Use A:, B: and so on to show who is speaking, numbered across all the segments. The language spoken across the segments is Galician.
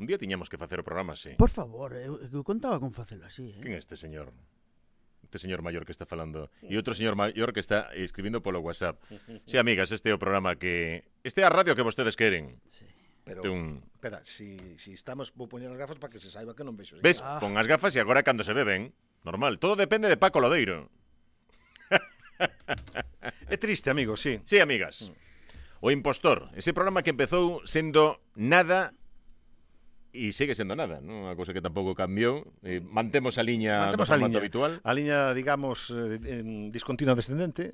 A: Un día tiñamos que facer o programa así.
B: Por favor, eu contaba con facelo así,
A: Quen é este señor? Este señor maior que está falando. E outro señor maior que está escribindo polo WhatsApp. Sí, amigas, este é o programa que... Este é a radio que vostedes queren.
B: Sí.
C: Pero, espera, si estamos, vou poñer as gafas para que se saiba que non vexo.
A: Ves, pon as gafas e agora cando se ve ben. Normal, todo depende de Paco Lodeiro.
C: É triste, amigo, sí.
A: Sí, amigas. O Impostor, ese programa que empezou sendo nada e segue sendo nada, non? Unha cousa que tampouco cambiou. Mantemos a liña do formato habitual.
C: A liña, digamos, discontinua descendente,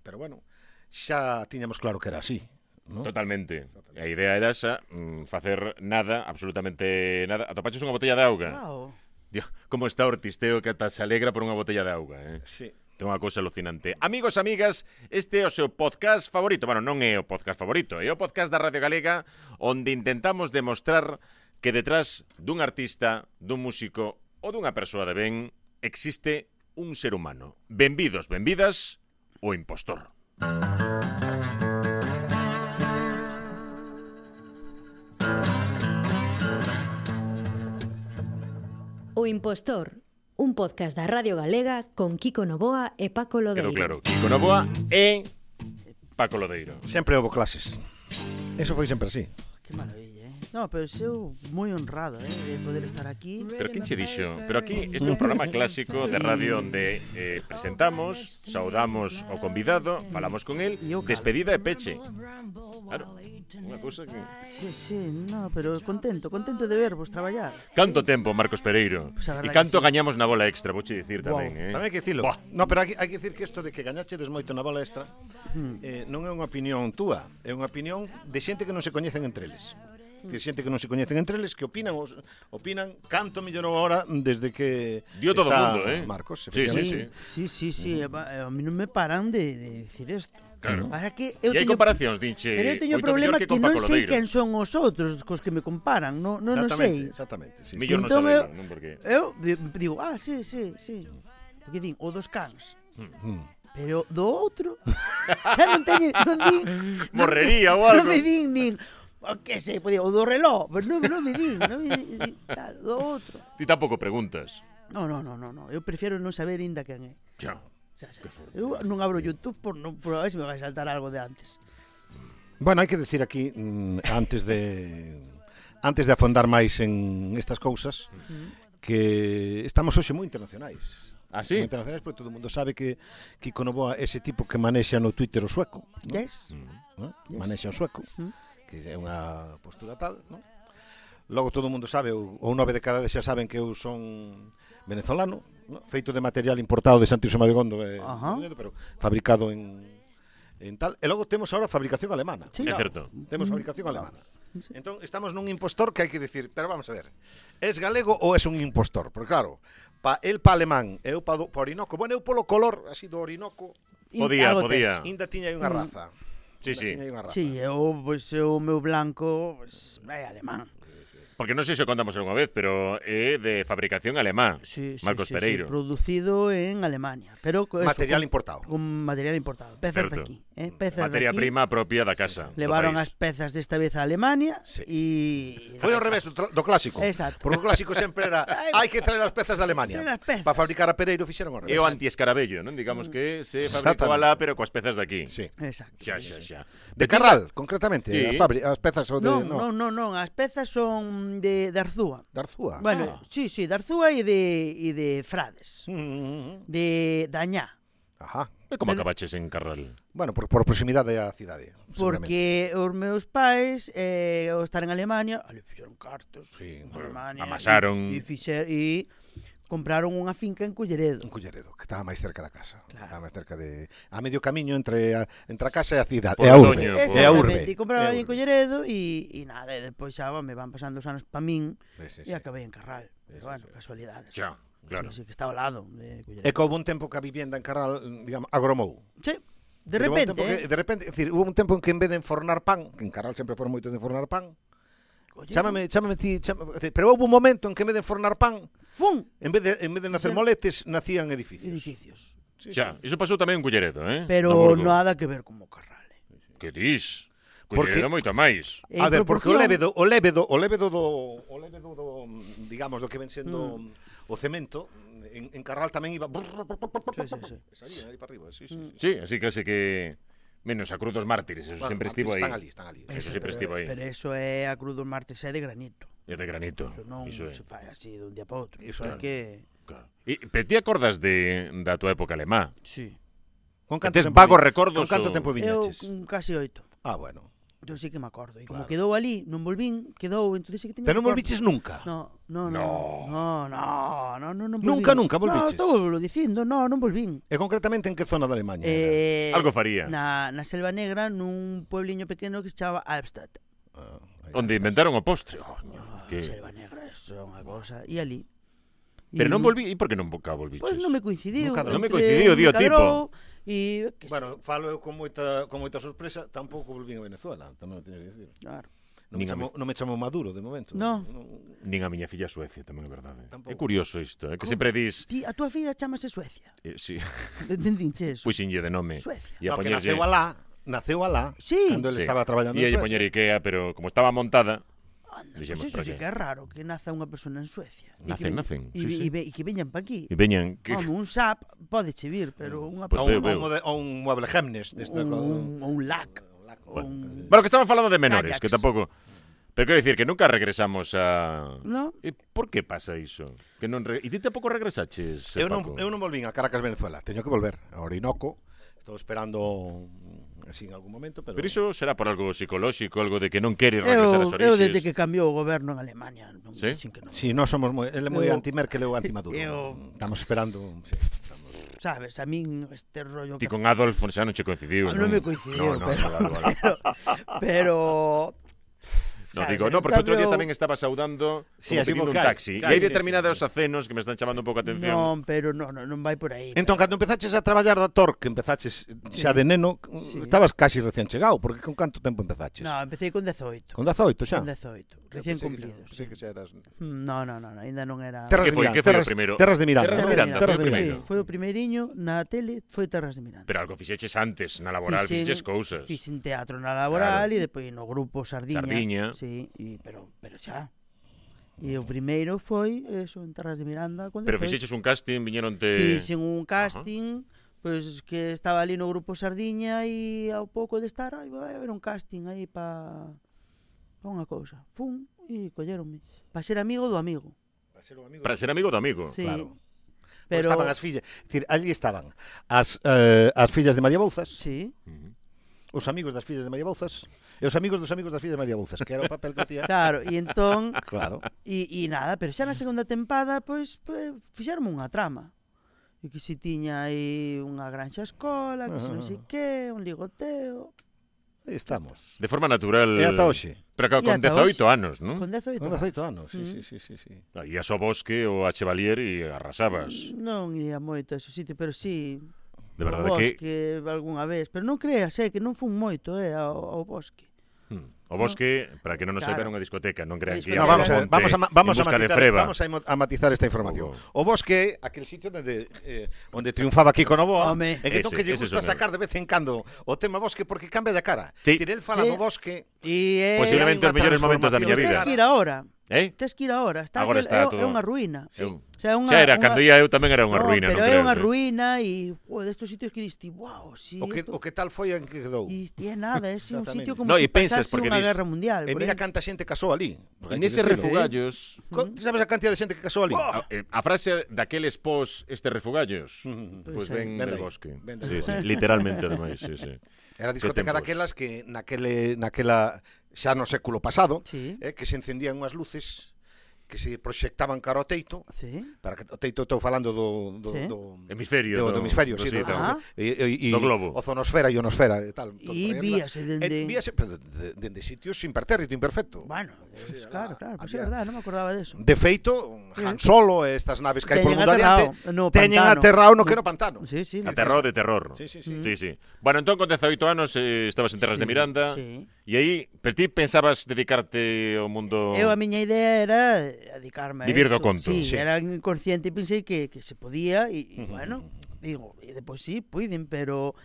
C: pero bueno, xa tiñamos claro que era así, ¿no?
A: Totalmente. A idea era esa, facer nada, absolutamente nada. Atopaches unha botella de auga.
B: Wow.
A: Dios, como está o artisteo que ata se alegra por unha botella de auga, eh?
C: Sí.
A: É unha cousa alucinante. Amigos, amigas, este é o seu podcast favorito. Bueno, non é o podcast favorito, é o podcast da Radio Galega onde intentamos demostrar que detrás dun artista, dun músico ou dunha persoa de ben existe un ser humano. Benvidos, benvidas, o Impostor.
D: O Impostor, un podcast da Radio Galega con Kiko Novoa e Paco Lodeiro.
A: Quedou claro, Kiko Novoa e Paco Lodeiro.
C: Sempre houve clases. Eso foi sempre así.
B: Que maravilla, No, pero eu moi honrado, de poder estar aquí.
A: Pero quen che dixo? Pero aquí este é un programa clásico de radio onde presentamos, saudamos ao convidado, falamos con el, despedida e peche. Claro, unha cousa que...
B: Sí, no, pero contento de vervos traballar.
A: Canto tempo, Marcos Pereiro.
B: Pues
A: e canto gañamos na bola extra, vouche dicir tamén,
C: Tamén hai que dicilo. No, pero hai que dicir que isto de que gañachedes moito na bola extra non é unha opinión túa, é unha opinión de xente que non se coñecen entre eles. Que xente que non se coñecen entre eles que opinan canto millorou ahora desde que
A: dio todo o mundo,
C: Marcos,
B: Sí, a mí non me paran de decir isto.
A: Claro.
B: Que
A: e hai comparacións, dinche.
B: Pero eu teño problema que non sei quen son os outros cos que me comparan, non sei.
C: Exactamente, sí.
A: Millor non sabemos, non porque...
B: Eu digo, sí. Porque din, o dos cans. Pero do outro xa non din
A: morrería ou algo.
B: Non me din nin que sei, o do reloj, pero non me din, tal, do outro.
A: Ti tampouco preguntas.
B: No, eu prefiero non saber ainda quen é.
A: Xa.
B: Eu non abro YouTube por a ver se me vai saltar algo de antes.
C: Bueno, hai que decir aquí antes de afondar máis en estas cousas que estamos hoxe moi internacionais.
A: Ah, sí?
C: Moi internacionais porque todo o mundo sabe que Kiko Novoa é ese tipo que manexa no Twitter o sueco, ¿no?
B: Yes.
C: Manexa o sueco, que é unha postura tal, ¿no? Logo todo o mundo sabe, ou 9 de cada 10 xa saben que eu son venezolano, ¿no? Feito de material importado de Santiago Mabegondo, pero fabricado en tal. E logo temos ahora fabricación alemana.
A: Sí, é certo.
C: Temos fabricación alemana. Entón estamos nun impostor que hai que decir, pero vamos a ver, es galego ou es un impostor? Porque claro, el pa alemán, eu pa Orinoco, bueno, eu polo color así do Orinoco
A: podía.
C: Ainda tiña aí unha raza.
A: Sí.
B: Sí, o meu blanco é alemán.
A: Porque non sei se o contamos algunha vez, pero é de fabricación alemá, Marcos Pereiro.
B: Sí, producido en Alemania. Pero
C: material importado.
B: Con material importado. Pezas de aquí.
A: Materia prima propia da casa.
B: Levaron as pezas desta vez a Alemania e...
C: Foi ao revés do clásico.
B: Exacto.
C: Porque o clásico sempre era hai que traer as pezas de Alemania. Para fabricar a Pereiro fixeron ao revés.
A: É o anti-escarabello, non? Digamos que se fabricou alá, pero coas pezas de aquí.
C: Sí.
B: Exacto.
A: Xa.
C: De Carral, concretamente.
A: Sí.
C: As pezas o de...
B: Non, as pezas son de Arzúa.
C: De Arzúa?
B: Bueno, sí, de Arzúa e de Frades. De Dañá.
C: Ajá.
A: E como acabaches en Carral?
C: Bueno, por proximidade á cidade.
B: Porque os meus pais, ao estar en Alemania, ali fixeron cartos,
A: amasaron
B: e compraron unha finca en Culleredo.
C: En Culleredo, que estaba máis cerca da casa. Claro. Estaba máis cerca de... A medio camiño entre a casa e a cidade.
A: E a urbe.
C: E a urbe.
B: E compraron ali en Culleredo e nada, e depois xa me van pasando os anos pa min e acabei en Carral. Pero bueno, casualidades.
A: Xa, claro.
B: Sí, que está ao lado de Culleredo.
C: E que houve un tempo que a vivenda en Carral, digamos, agromou.
B: Sí. De repente,
C: é dicir, hubo un tempo en que en vez de enfornar pan, que en Carral sempre foron moito de enfornar pan, chámame ti, pero houve un momento en que en vez de enfornar pan, en vez de nacer moletes, nacían edificios.
A: Xa, iso pasou tamén en Culleredo,
B: Pero nada que ver como Carral.
A: Que dis?
C: Porque-
A: Collerido moito máis.
B: En
C: A ver, porque
B: proporción-
C: o lévedo do, digamos, do que ven sendo o cemento, en Carral tamén iba...
B: Sí.
C: Salían aí para arriba, sí.
A: Sí, así casi que... Menos a Cruz dos Mártires, eso
C: Bueno,
A: sempre estivo aí.
C: Están ali.
A: Eso sempre estivo aí.
B: Pero eso é a Cruz dos Martes é de granito.
A: É de granito.
B: Eso non
A: Iso é.
B: se fai así de un día para outro.
C: Iso
B: Eso é
C: é.
B: que...
A: Claro. Pero ti acordas da tua época alemá?
B: Sí.
C: Con
A: Tes vagos recordos
C: Con canto
A: ou-
C: tempo
B: Eu
C: viñaches?
B: casi 8.
C: Ah, bueno.
B: Eu sí que me acordo. E como
C: Claro.
B: quedou ali, non volvín, quedou, entón sí que teño
C: Pero non
B: recordo.
C: volviches nunca?
B: Non volvín.
C: Nunca volviches?
B: No, estou dicindo, non volvín.
C: E concretamente en que zona de Alemanha? era?
A: Algo faría.
B: Na Selva Negra, nun puebliño pequeno que se chamaba Albstadt.
C: Aí
A: Onde inventaron o postre. Oño, que...
B: Selva Negra, eso é unha cosa. E ali.
A: Pero non volví, e por que non volviches?
B: Pois non me coincidiu.
C: Non
A: me
B: entre-
A: coincidiu, dio
B: me cadrou, E que
C: Bueno, falo eu con moita sorpresa, tampouco volvín a Venezuela, tamén o teño que dicir.
B: claro.
C: Non me chamo Maduro, de momento.
B: No.
A: Nin a miña filla a Suecia, tamén é verdade.
C: Tampouco.
A: É curioso isto, que
B: Como?
A: sempre dis...
B: Ti, a túa filla chamase Suecia.
A: Sí,
B: Entendinche eso?
A: puxinlle de nome.
B: Suecia.
A: E a
C: No, que
A: poñerlle...
C: naceu alá,
B: Sí.
C: cando ele
A: Sí.
C: estaba traballando
A: E
C: en
A: lle
C: Suecia.
A: poñer Ikea, pero como estaba montada...
B: Anda,
A: Dixemos,
B: pues eso
A: ¿para
B: sí
A: qué?
B: que é raro, que naza unha persona en Suecia.
A: Nacen,
B: E
A: sí, sí.
B: que veñan pa aquí.
A: E veñan... Que...
B: Home, un SAP pode che vir, pero unha
A: Pues
C: A
A: veo,
B: persona...
A: veo.
C: un mueble Gemnes.
B: Un LAC.
A: Bueno, que estamos falando de menores,
B: Ajax.
A: que tampouco... Pero quero dicir que nunca regresamos a...
B: No?
A: E por que pasa iso? Que non E ti tampouco regresaches,
C: Eu
A: Paco?
C: non volvín a Caracas, Venezuela. Teño que volver a Orinoco. Estou esperando así en algún momento, pero...
A: Pero iso será por algo psicolóxico, algo de que non queres regresar ás
B: Eu
A: orixes.
B: desde que cambiou o goberno en Alemania, non
A: Sí?
B: dicen que non.
C: Sí, nós somos ele é moi
B: Eu-
C: anti-Merkel ou anti-Maduro.
B: eu-
C: Estamos esperando, sí, estamos...
B: Sabes, a min este rollo
A: Ti
B: que
A: con Adolf xa non che coincidiu,
B: non me coincidiu,
A: No,
B: pero,
A: vale.
B: pero
A: No,
B: sabes,
A: digo,
B: en
A: no, porque outro día
B: cambio-
A: tamén estaba saudando
C: Sí,
A: como
C: así
A: pedindo un
C: vocal.
A: taxi.
C: Claro,
A: E hai
C: sí,
A: determinados
C: sí,
A: acenos que me están chamando un pouco a atención.
B: non, pero non vai por aí.
C: Entón, cando empezaches a traballar da TOR, que empezaches xa de neno, estabas casi recién chegado, porque con canto tempo empezaches?
B: No, empecé con 18.
C: Con 18 xa?
B: Con 18, recién cumplidos.
C: Sí, que xa eras...
B: No, ainda non era...
C: Terras
A: Que
C: de
A: foi?
C: Miranda,
A: Que foi o
C: terras-
A: primeiro?
C: Terras de Miranda.
A: Terras de Miranda,
C: Terras
A: foi
C: de
A: o
C: Miranda.
B: Sí, foi o primeiriño na tele, foi Terras de Miranda.
A: Pero algo fixeches antes, na laboral, fixeches cousas.
B: Fixen teatro na laboral
A: Claro.
B: e depois no grupo Sardiña.
A: Sardiña.
B: Sí, pero xa. E o primeiro foi eso, en Terras de Miranda.
A: Pero fixeches un casting, viñeronte...
B: Fixen un casting, pois que estaba ali no grupo Sardiña e ao pouco de estar, vai haber un casting aí pa unha cousa. Fun e colleronme. Pa ser amigo do amigo.
A: Para ser amigo do amigo.
B: Sí.
C: Claro.
B: Pero
C: Estaban as fillas, decir, allí estaban as fillas de María Bouzas,
B: Sí.
A: Ujú.
C: os amigos das fillas de María Bouzas e os amigos dos amigos das fillas de María Bouzas, que era o papel que tía.
B: Claro, e entón
C: Claro.
B: e nada, pero xa na segunda tempada pois fixeronme unha trama. E que si tiña aí unha granxa escola, que se non sei que, un ligoteo,
C: Aí estamos.
A: De forma natural.
C: E ata hoxe.
A: Pero claro,
B: E
A: con
B: ata
A: 18 anos, non?
B: con 18.
C: Con 18 anos, sí,
B: Mm.
C: sí.
A: Ías ao bosque ou a Chevalier e arrasabas.
B: Non ia moito a ese sitio, pero sí
A: De verdade
B: ao
A: que...
B: bosque algunha vez, pero non creas, que non fun moito, ao bosque.
A: O bosque, para que non nos saiba,
B: Claro.
A: era unha discoteca, non crean que
B: No,
A: íamos
C: vamos
A: ao
C: a,
A: monte
C: vamos a, vamos
A: en
C: a
A: busca de
C: matizar,
A: freba.
C: vamos a matizar esta información.
B: Oh.
C: O bosque, aquel sitio onde triunfaba Kiko Novoa,
B: Home.
C: e que entón que lle
A: Ese
C: gusta
A: son eu.
C: sacar de vez en cando o tema bosque porque cambia de cara.
A: Sí.
C: Tire el fala
B: Sí.
C: no bosque,
B: E
A: Posiblemente os
C: hai unha
A: mellores momentos da miña
C: transformación.
A: vida.
B: Tes que ir agora.
A: Tes
B: Que ir agora. Está
A: Agora
B: aquel-
A: está
B: é
A: todo-
B: unha ruína.
C: Sí.
B: O sea,
A: Xa era, cando ia eu tamén era unha ruína,
B: pero
A: non
B: é
A: creas,
B: unha
A: eh?
B: ruína e destos sitios que diste, wow, sí.
C: o que tal foi en que quedou.
B: E é nada, é un
C: Exactamente.
B: sitio como
A: No,
B: se
A: e pensas,
B: pasase
A: porque
B: unha
A: dis-
B: guerra mundial.
C: E
B: por
C: mira
B: aí.
C: canta xente casou ali. Porque hai
A: En
C: que
A: ese
C: dicilo.
A: refugallos...
C: Ti sabes a cantidad de xente que casou ali?
A: A frase daqueles pos estes refugallos,
B: Pois
A: pois ven
C: ven
A: del
C: de aí,
A: bosque.
C: ven de
A: Sí,
C: aí.
A: sí, literalmente, ademais, sí, sí.
C: Era a discoteca
A: tempos.
C: daquelas que naquela xa no século pasado,
B: Sí.
C: que se encendían unhas luces que se proxectaban cara ao teito,
B: Sí.
C: para que o teito estou falando do
B: Sí.
A: Hemisferio.
C: do hemisferio,
A: do
C: sí,
A: sitio.
B: Ah.
C: e
A: Do globo.
C: ozonosfera e ionosfera e tal. todo
B: E
C: por aí
B: víase
C: arriba.
B: dende...
C: Víase pero dende sitios impertérrito, imperfecto.
B: Bueno,
C: Sí,
B: claro,
C: había-
B: pois é verdade, non me acordaba de eso.
C: De feito, Han Solo e estas naves que hai por
B: Teñen
C: mundo adiante
B: aterrado no
C: teñen
B: pantano.
C: aterrado no que no pantano.
B: Sí, sí.
A: Aterror de terror.
C: Sí, sí,
A: Sí, sí. Bueno, entón con 18 anos estabas en Terras de Miranda
B: Sí.
A: e aí, pero ti pensabas dedicarte ao mundo...
B: Eu a miña idea era dedicarme a
A: Vivir do
B: isto.
A: conto.
B: Sí,
C: Sí.
B: era inconsciente e pensei que se podía e bueno, digo, e depois sí, puiden, pero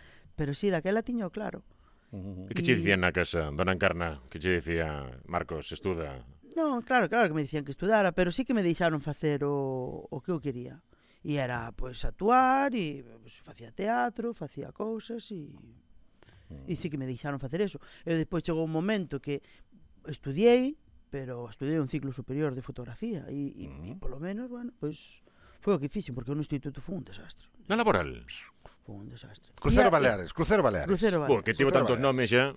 B: sí, daquela tiño claro.
A: E que che dicían na casa, dona Encarna? Que che dicía, Marcos, estuda?
B: Non, claro que me dicían que estudara, pero sí que me deixaron facer o que eu quería. E era, pois, actuar, e pois, facía teatro, facía cousas, e sí que me deixaron facer eso. E despois chegou un momento que estudiei, pero estudiei un ciclo superior de fotografía, e polo menos, bueno, pois, foi o que fixen, porque no instituto foi un desastre.
A: Na laboral?
B: Foi un desastre.
C: Crucero Baleares.
B: Crucero Baleares.
A: Que tivo tantos nomes xa.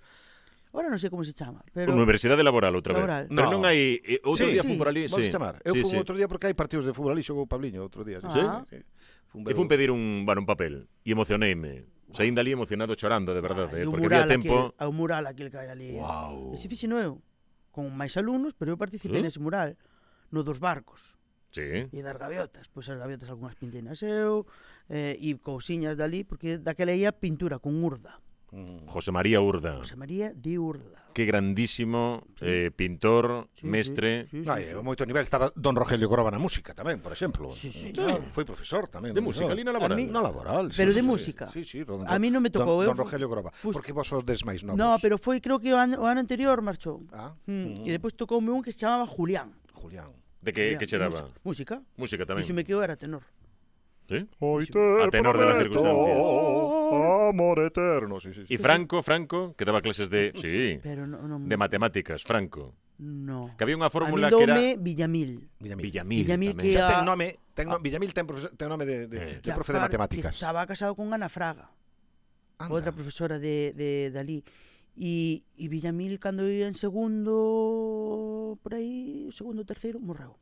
B: Ahora non sei como se chama, pero...
A: Universidade Laboral outra vez.
B: Laboral.
A: Pero non hai... Outro día
B: sí.
A: fun por ali,
C: Vamos
A: sí.
C: chamar. Eu fun outro día porque hai partidos de fútbol ali, xogou o Pabliño outro día.
B: Sí?
A: E fun pedir un papel e emocioneime. Saín dali emocionado chorando, de verdade,
B: o
A: porque había
B: mural
A: tempo...
B: o mural aquel que hai ali.
A: Wow.
B: Ese fixeno eu, con máis alumnos, pero eu participei nese mural, no dos barcos.
A: Sí.
B: E das gaviotas, pois as gaviotas algunhas pinteinas eu, e cousiñas dali, porque daquela ia pintura con Urda.
A: José María Urda.
B: José María de Urda.
A: Que grandísimo pintor, mestre.
B: Sí,
C: A moito nivel estaba Don Rogelio Groba na música tamén, por exemplo.
B: Sí,
C: Claro. Foi profesor tamén.
A: De música, ali na laboral.
C: Na laboral,
B: Pero de música.
C: Sí,
B: A mí non me tocou.
C: Don Rogelio Groba. Porque vos os des máis novos.
B: No, pero foi, creo que o ano anterior marchou.
C: Ah.
B: E depois tocoume un que se chamaba Julián.
C: Julián.
A: De que che daba?
B: Música.
A: Música tamén.
B: E se me quedou era tenor.
A: ¿Sí? A tenor de las circunstancias.
C: Amor eterno, sí.
A: Y Franco, que daba clases de... Sí,
B: pero non
A: de matemáticas, Franco.
B: No.
A: Que había unha fórmula
B: a
A: que era...
B: Villamil.
A: Villamil
B: que
C: Xa ten
B: a...
C: nome, Villamil ten nome de profe de matemáticas.
B: Que estaba casado con Ana Fraga, outra profesora de dali. E Villamil, cando ia en segundo, por aí, segundo, terceiro, morreu.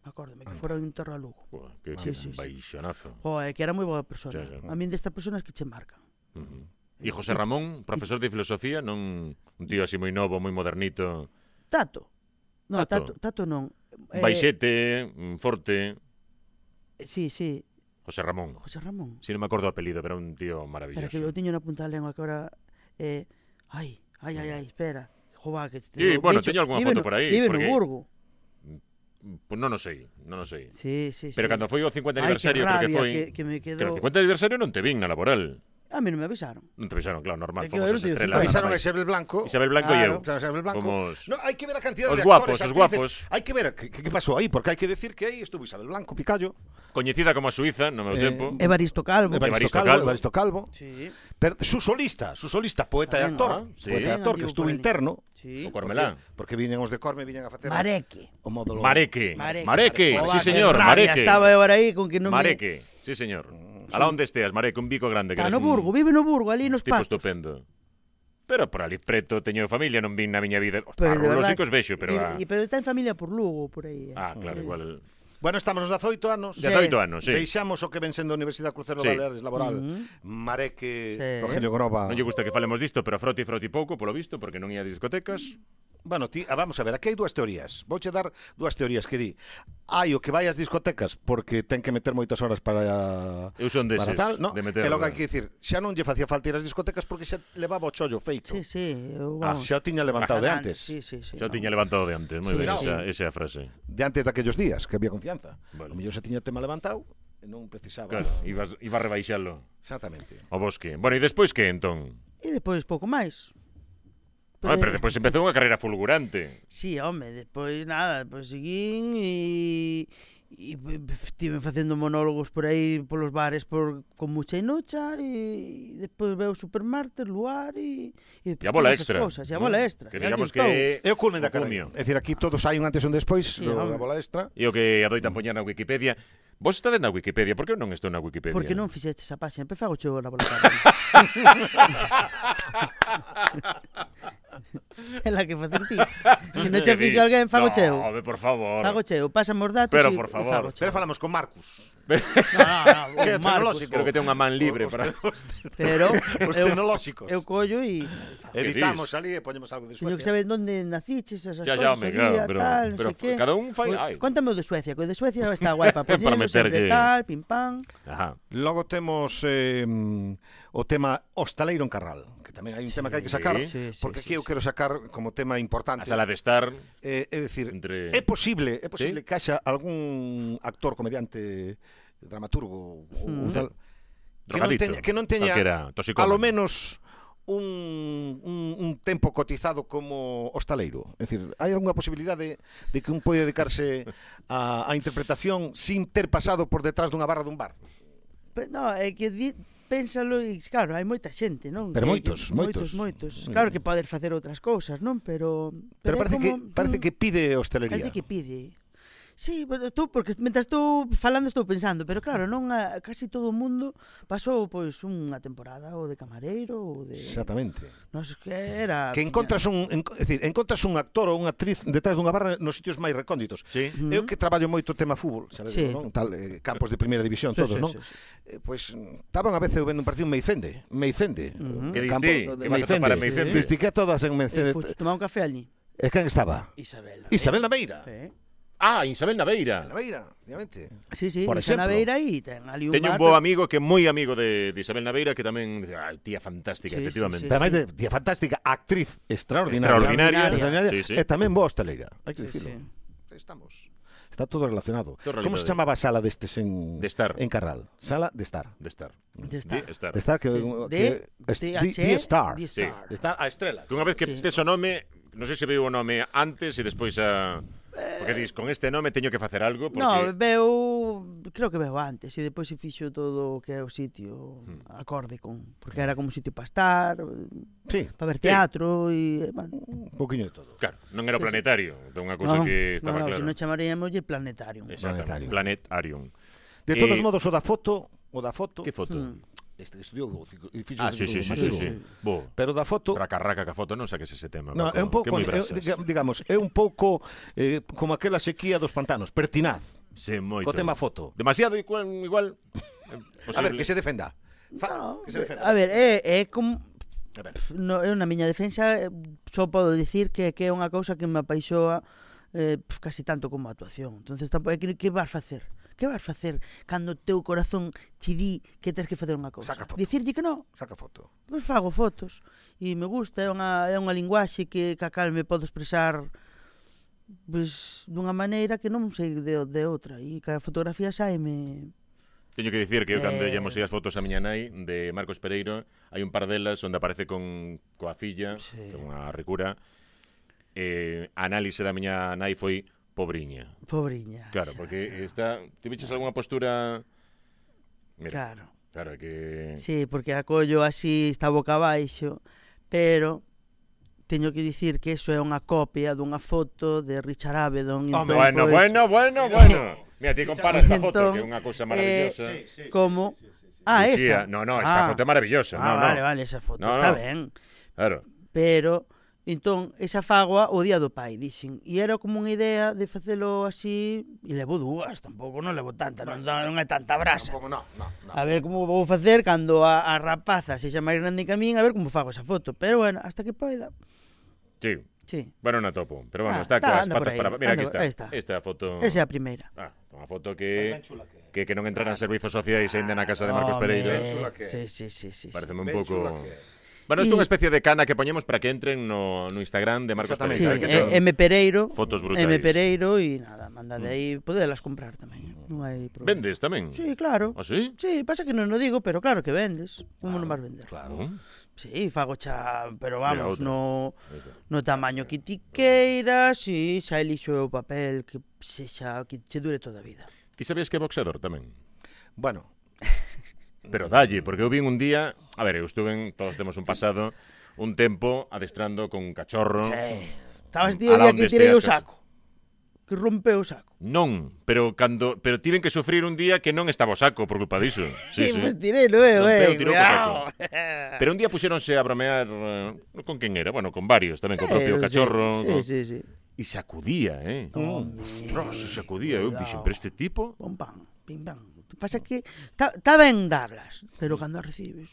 B: Acórdame, que fora un enterro a Lugo.
A: Que baixonazo.
B: Que era moi boa persona.
A: Sí.
B: A min destas personas que che marcan.
A: E José Ramón, profesor de filosofía, non un tío así moi novo, moi modernito.
B: Tato. No,
A: Tato.
B: Tato non.
A: Baixete, forte.
B: Sí.
A: José Ramón.
B: José Ramón.
A: Si non me acordo o apelido, pero era un tío maravilloso.
B: Espera, que eu tiño na punta da lengua que ahora... Ai, espera. Jova, que...
A: Sí, bueno, teño algunha foto por aí.
B: Vive no Burgo.
A: Pues non o sei.
B: Sí.
A: Pero cando foi o 50 aniversario,
B: creo
A: que foi...
B: que me quedou...
A: Que o 50 aniversario non te vin na laboral.
B: A mí non me avisaron.
A: Non te avisaron, claro, normal.
B: Que
A: Fomos
B: eu
A: as
B: non
A: estrelas.
C: Avisaron a Isabel Blanco.
A: Isabel Blanco e eu.
C: Isabel Blanco.
A: Fomos...
C: No, hai que ver a cantidad
A: os
C: de
A: guapos,
C: actores,
A: os guapos.
C: Hai que ver que pasou aí, porque hai que decir que aí estuvo Isabel Blanco, Picallo.
A: Coñecida como a Suiza no meu tempo.
B: Evaristo Calvo.
C: Evaristo Calvo.
B: Sí.
C: Pero su solista, poeta e actor.
A: Sí.
C: Poeta e actor que estuvo interno.
B: Sí.
A: O Cormelán.
C: Porque viñen os de Corme, viñen a facer...
B: Mareque.
C: O módulo...
A: Mareque,
B: Joder,
A: sí señor,
B: que rabia,
A: Mareque.
B: Estaba eu aí con que non
A: Mareque, sí señor. Alá onde esteas, Mareque, un bico grande.
B: Está no Burgo, vive no Burgo, ali nos
A: tipo
B: pastos.
A: estupendo. Pero por ali preto teño familia, non vin na miña vida. Os
B: Pero de
A: parrulos
B: verdad
A: sí que os vexo, pero...
B: Pero está en familia por Lugo, por aí.
A: Ah, claro, igual...
C: Bueno, estamos nos 18 anos.
A: 18 anos, sí.
C: Deixamos o que ven sendo a Universidade Crucero
A: Sí.
C: Baleares Laboral. Mareque,
B: Sí.
C: Rogelio Groba.
A: Non lle gusta que falemos disto, pero froti pouco, polo visto, porque non ia a discotecas.
C: Bueno, vamos a ver, aquí hai dúas teorías. Vouche dar dúas teorías que di. Hai o que vai ás discotecas porque ten que meter moitas horas para
A: Eu son deses,
C: tal, no?
A: de meter...
C: E logo hai que dicir, xa non lle facía falta ir ás discotecas porque xa levaba o chollo feito.
B: Sí, eu,
C: Xa o tiña levantado de antes.
B: Sí.
A: Xa o tiña levantado de antes, moi
C: Sí,
A: ben,
C: no.
A: esa é a frase.
C: De antes daquellos días, que había confianza.
A: Vale.
C: O mellor xa tiña o tema levantado e non precisaba.
A: Claro, iba a rebaixalo
C: Exactamente.
A: o bosque. Bueno, e despois que entón?
B: E despois pouco máis.
A: Pero despois empezou unha carreira fulgurante.
B: Sí, home, despois nada, despois seguín e estive facendo monólogos por aí polos bares con mucha inocha e despois veo Supermartes, Luar e
A: a bola extra.
B: Cosas, e a bola extra.
A: Que digamos que
C: É o culmen da
A: o
C: carreira.
A: cumio.
C: É dicir, aquí todos hai un antes e un despois
B: Sí,
C: da bola extra.
A: E o que adoitan poñer na Wikipedia. Vos estades na Wikipedia, por que eu non estou na Wikipedia?
B: Porque non fixeches a páxina, fago chego na bola. É la que facer ti. Se non che fixo alguén, fago cheo.
A: No, por favor.
B: Fago cheo, pásame os datos
A: Pero,
B: e
A: por favor.
B: fago cheo.
C: Pero falamos con Marcus.
B: No,
C: Que é
B: Marcos,
A: Creo que ten unha man libre para...
B: pero
C: Os tecnolóxicos.
B: eu collo e
C: Editamos ali e poñemos algo de
B: teño que
C: Suecia.
B: saber onde naciches, esas
A: Ya,
B: cosas,
A: home,
B: ali,
A: claro,
B: a
A: pero
B: tal, non sei que.
A: cada un fai... Ai.
B: Contame o de Suecia, que o de Suecia está guai para
A: Para
B: poñerlo,
A: meterlle.
B: sempre tal, pim pam.
A: Ajá.
C: Logo temos o tema Hostaleiro en Carral, que tamén hai un tema que hai que sacar,
B: Sí,
C: porque aquí eu quero sacar como tema
A: A
C: importante.
A: sala de estar
C: É dicir,
A: entre...
C: é posible
A: ¿Sí?
C: que haxa algún actor, comediante, dramaturgo ou tal que non
A: Drogadicto.
C: teña
A: Calquera, toxicómano.
C: a lo menos un tempo cotizado como hostaleiro? É dicir, hai algunha posibilidade de que un pode dedicarse a interpretación sin ter pasado por detrás dunha barra dun bar?
B: No, é que pénsalo e claro, hai moita xente, non?
C: Pero moitos.
B: Claro que podes facer outras cousas, non? Pero
C: parece que pide hostelería.
B: Parece que pide. Sí, tú, porque mentras estou falando estou pensando, pero claro, non casi todo o mundo pasou pois unha temporada ou de camareiro ou de...
C: Exactamente.
B: Non sei que era...
C: Que encontras encontras un actor ou unha actriz detrás dunha barra nos sitios máis recónditos.
A: Sí.
C: Eu que traballo moito tema fútbol, sabes,
B: Sí.
C: non? Tal, campos de primeira división todos, non? Pois estaban a veces vendo un partido en Meicende.
A: Que
C: Campo
A: diste?
C: de
A: Que vas a topar a Meicende?
C: Diste que todas en Meicende.
B: Fuiste tomar un café allí.
C: E quen estaba? Isabel Naveira.
A: Ah, Isabel Naveira.
C: Naveira, efectivamente.
B: Sí,
C: Por
B: Isa
C: exemplo.
B: Naveira e ten ali un
A: Teño un
B: bar,
A: bo amigo que é moi amigo de Isabel Naveira que tamén, tía fantástica,
B: Sí,
A: efectivamente.
B: sí,
C: Pero máis de tía fantástica, actriz extraordinaria,
A: Sí.
C: e tamén boa hosteleira, hai que
B: Sí,
C: dicirlo.
B: sí.
C: Está todo relacionado.
A: Todo
C: Como se
A: realidade.
C: chamaba a sala destes
A: De estar.
C: en Carral? Sala de estar.
A: De estar.
B: De estar.
A: De estar.
C: De estar que de Star.
B: de
A: Sí.
B: Star.
C: De estar a estrela.
A: Que unha vez que
B: Sí.
A: tes o nome, non sei se veu o nome antes e despois a... Porque dis, con este nome teño que facer algo, porque...
B: No, creo que veo antes e depois se fixo todo o que é o sitio acorde con, porque era como un sitio para estar,
C: Sí,
B: para ver teatro e, bueno,
C: un poquinho de todo.
A: Claro, non era o
B: Sí, sí.
A: planetario, unha cousa que estaba
B: se
A: clara.
B: non chamaríamoslle planetarium.
A: Exactamente, Planetarium.
C: De todos modos, o da foto,
A: Que foto?
C: estudiou o edificio
A: Ah, sí. Bo,
C: Pero da foto
A: raca que a foto non saques ese tema.
C: no,
A: Paco,
C: é un pouco,
A: que moi brasas.
C: digamos, é un pouco como aquela sequía dos pantanos, pertinaz,
A: Sí, moito.
C: co tema foto.
A: Demasiado igual.
C: A ver, que se defenda.
B: No,
C: Que se defenda.
B: a ver, é como
C: A ver.
B: no, eu na miña defensa só podo dicir que é unha cousa que me apaixoa casi tanto como a actuación. Entonces, que vas facer? Que vas facer cando o teu corazón te di que tens que facer unha cousa?
C: Saca foto.
B: Dicirlle que non?
C: Saca foto.
B: Pois fago fotos e me gusta, é unha linguaxe que a cal me podo expresar pois dunha maneira que non sei de outra e que a fotografía saime.
A: Teño que dicir que eu cando lle mosei as fotos a miña nai de Marcos Pereiro, hai un par delas onde aparece coa filla,
B: Sí.
A: que é unha ricura. A análise da miña nai foi pobriña.
B: Pobriña.
A: Claro, porque está... Te viches algunha postura... Mira,
B: Claro.
A: que...
B: Sí, porque a collo así está boca abaixo, pero teño que dicir que eso é unha copia dunha foto de Richard Avedon.
A: Bueno. Mira, ti comparas esta foto,
B: Entón,
A: que é unha cousa maravillosa.
B: Como...
A: Dicía,
B: esa.
A: No, esta foto é maravillosa. No.
B: Vale, esa foto
A: No,
B: está
A: no.
B: ben.
A: Claro.
B: Pero, entón, esa fagoa o día do pai, dixen. E era como unha idea de facelo así, e levo dúas, tampouco non levo tanta, non é tanta brasa.
C: Tampouco, no.
B: A ver como vou facer cando a rapaza sexa máis grande que a min, a ver como fago esa foto. Pero bueno, hasta que poida.
A: Sí.
B: Sí.
A: Bueno, non a topo. Pero bueno,
B: Está,
A: está coas
B: anda por
A: patas
B: aí,
A: para... Mira, aquí
B: anda,
A: está.
B: aí está.
A: Esta foto...
B: Esa é a primeira.
A: Unha foto que non entraran servizos sociais aínda na casa de Marcos Pereiro.
B: Sí.
A: Pareceme un
C: Ben
A: pouco...
C: chula que é.
A: Bueno, isto é unha especie de cana que poñemos para que entren no Instagram de Marcos
C: Exactamente.
B: Sí,
A: Pereiro. Que ten
B: M Pereiro.
A: fotos brutais.
B: M Pereiro e nada, manda de aí, podelas comprar tamén. Non hai problema.
A: Vendes tamén?
B: Sí, claro.
A: Ah, sí?
B: Sí, pasa que non o digo, pero claro que vendes. Como non vas vender?
C: Claro.
B: Sí, fago xa, pero
A: Mira,
B: vamos,
A: outra.
B: no tamaño que ti queiras, si xa elixo o papel que sexa, que che dure toda a vida.
A: Ti sabías que é boxeador tamén?
C: Bueno,
A: Pero dalle, porque eu vin un día... A ver, eu estuve, todos temos un pasado, un tempo adestrando con un cachorro.
B: Sí. Estabas tío
A: Alá
B: día
A: onde
B: que tirei o
A: esteas,
B: saco. Que rompeu o saco.
A: Non, pero tiven que sufrir un día que non estaba o saco por culpa diso. Sí.
B: Pues tirei, non é,
A: Rompeu, tirou co
B: cuidado.
A: Pero un día puxéronse a bromear con quen era, bueno, con varios tamén, con o propio cachorro.
B: Sí.
A: E sacudía, Ostras, se sacudía. Eu dixen, pero este tipo...
B: Pum pam, pim pam. Pasa que está ben darlas, pero cando as recibes,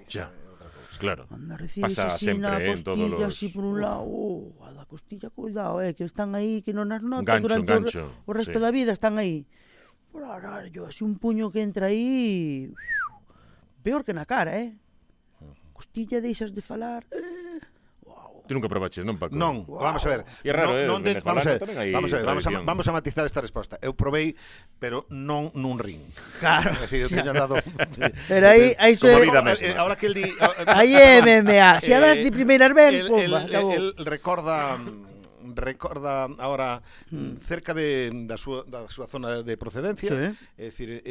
A: Xa, claro.
B: cando as recibes
A: Pasa
B: así
A: sempre,
B: na
A: en todos
B: costilla,
A: los-
B: así por un lado, a da costilla, cuidado, que están aí, que non as notas
A: Gancho,
B: durante
A: gancho,
B: o resto
A: sí.
B: da vida, están aí. Por arallo, así un puño que entra aí, peor que na cara, Costilla deixas de falar, wow.
A: Tú nunca probaches, non, Paco?
C: Non, vamos a ver.
A: E é raro,
C: Vamos a matizar esta resposta. Eu probei, pero non nun ring.
B: Claro.
C: É dicir, eu teño dado...
B: Pero aí
A: Como a vida mesma.
C: Ahora que el di...
B: aí é MMA. Se a das de primeiras ben, pumba, acabou.
C: El recorda ahora cerca da súa zona de procedencia, é dicir,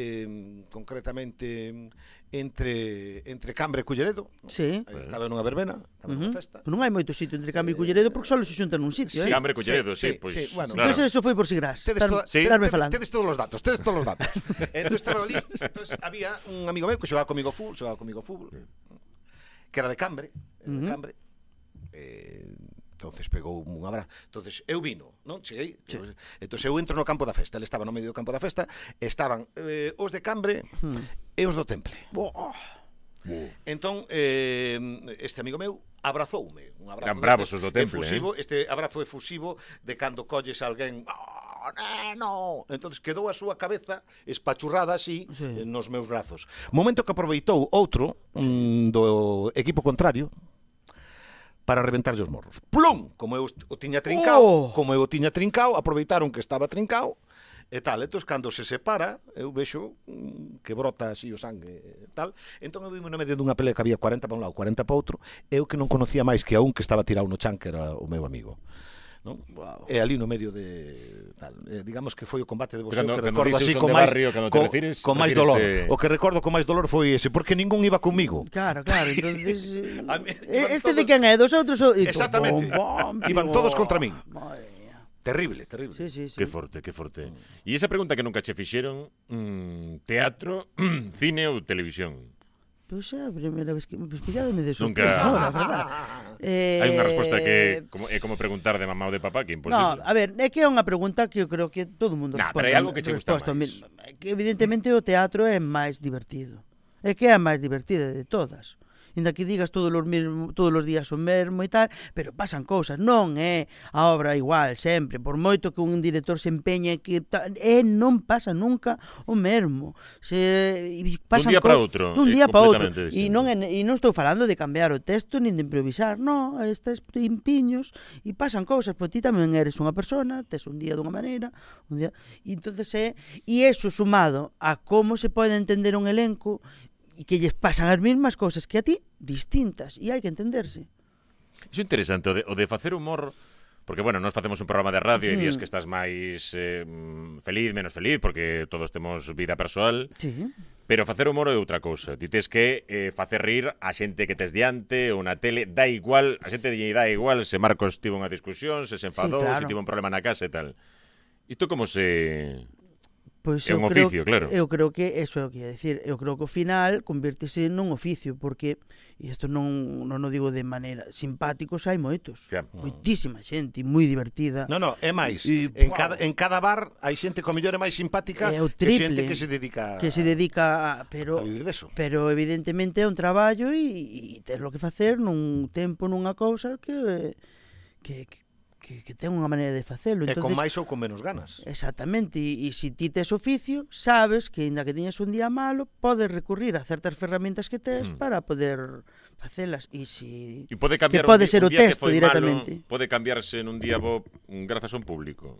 C: concretamente entre Cambre e Culleredo.
B: Sí.
C: Estaba nunha verbena, estaba nunha festa.
B: Non hai moito sitio entre Cambre e Culleredo porque só se xuntan nun sitio,
A: Sí, Cambre e Culleredo, sí, pois.
C: Bueno,
A: claro.
B: Pois eso foi por si gras.
C: Tedes todos os datos. Entón estaba ali, había un amigo meu que xogaba comigo fútbol, que era de Cambre, entonces pegou un abrazo. Entonces eu vino, non? Cheguei. Sí. Entonces eu entro no campo da festa, ele estaba no medio do campo da festa, estaban os de Cambre e os do Temple. Entón este amigo meu abrazoume, un abrazo.
A: Eran bravos os do Temple,
C: efusivo, este abrazo efusivo de cando colles a alguén, no. Entonces quedou a súa cabeza espachurrada así nos meus brazos. Momento que aproveitou outro do equipo contrario para reventarlle os morros. Plum! Como eu o tiña trincao, aproveitaron que estaba trincao, e tal. Entón, cando se separa, eu vexo que brota así o sangue e tal. Entón, eu vime no medio dunha pelea que había 40 para un lado, 40 para outro, eu que non conocía máis que a un que estaba tirado no chan, que era o meu amigo. Non? Wow. E ali no medio de tal, digamos que foi o combate de boxeo que recordo así con máis con máis dolor. O que recordo con máis dolor foi ese, porque ningún iba comigo.
B: Claro, entonces este de quen é dos outros
C: exactamente. Iban todos contra min. Terrible.
B: Sí.
A: Que forte. E esa pregunta que nunca che fixeron, teatro, cine ou televisión?
B: Pois é a primeira vez que me pilládome de
A: Nunca.
B: sorpresa ahora, verdad?
A: Hai unha resposta que é como preguntar de mamá ou de papá, que é imposible.
B: No, a ver, é que é unha pregunta que eu creo que todo o mundo
A: responde. Pero hai algo que che gusta máis.
B: Que evidentemente o teatro é máis divertido. É que é a máis divertida de todas. Inda que digas todos os días o mesmo e tal, pero pasan cousas, non é a obra igual sempre, por moito que un director se empeñe que non pasa nunca o mesmo.
A: Dun día para outro.
B: Dun día para outro. E non estou falando de cambiar o texto nin de improvisar, non, estes impiños e pasan cousas, porque ti tamén eres unha persona, tes un día dunha maneira, un día, e entonces e eso sumado a como se pode entender un elenco e que lles pasan as mesmas cousas que a ti, distintas, e hai que entenderse.
A: Iso é interesante, o de facer humor, porque, bueno, nós facemos un programa de radio e días que estás máis feliz, menos feliz, porque todos temos vida persoal, pero facer humor é outra cousa. Ti tes que facer rir a xente que tes diante ou na tele, dá igual, a xente lle dá igual se Marcos tivo unha discusión, se enfadou, se tivo un problema na casa e tal. Isto como se...
B: Pois
A: é un oficio, claro.
B: Eu creo que eso é o que ia decir. Eu creo que ao final convértese nun oficio, porque, e isto non o digo de maneira, simpáticos hai moitos. Moitísima xente, moi divertida.
C: No, é máis. En cada bar hai xente que ao mellor é máis simpática que xente que se dedica
B: a
C: vivir deso.
B: Pero evidentemente é un traballo e tes lo que facer nun tempo, nunha cousa que ten unha maneira de facelo.
C: E con máis ou con menos ganas.
B: Exactamente, e se ti tes oficio, sabes que, ainda que teñas un día malo, podes recurrir a certas ferramentas que tes para poder facelas. E
A: pode cambiar
B: que pode ser o texto directamente.
A: Pode cambiarse nun día bo grazas a un público.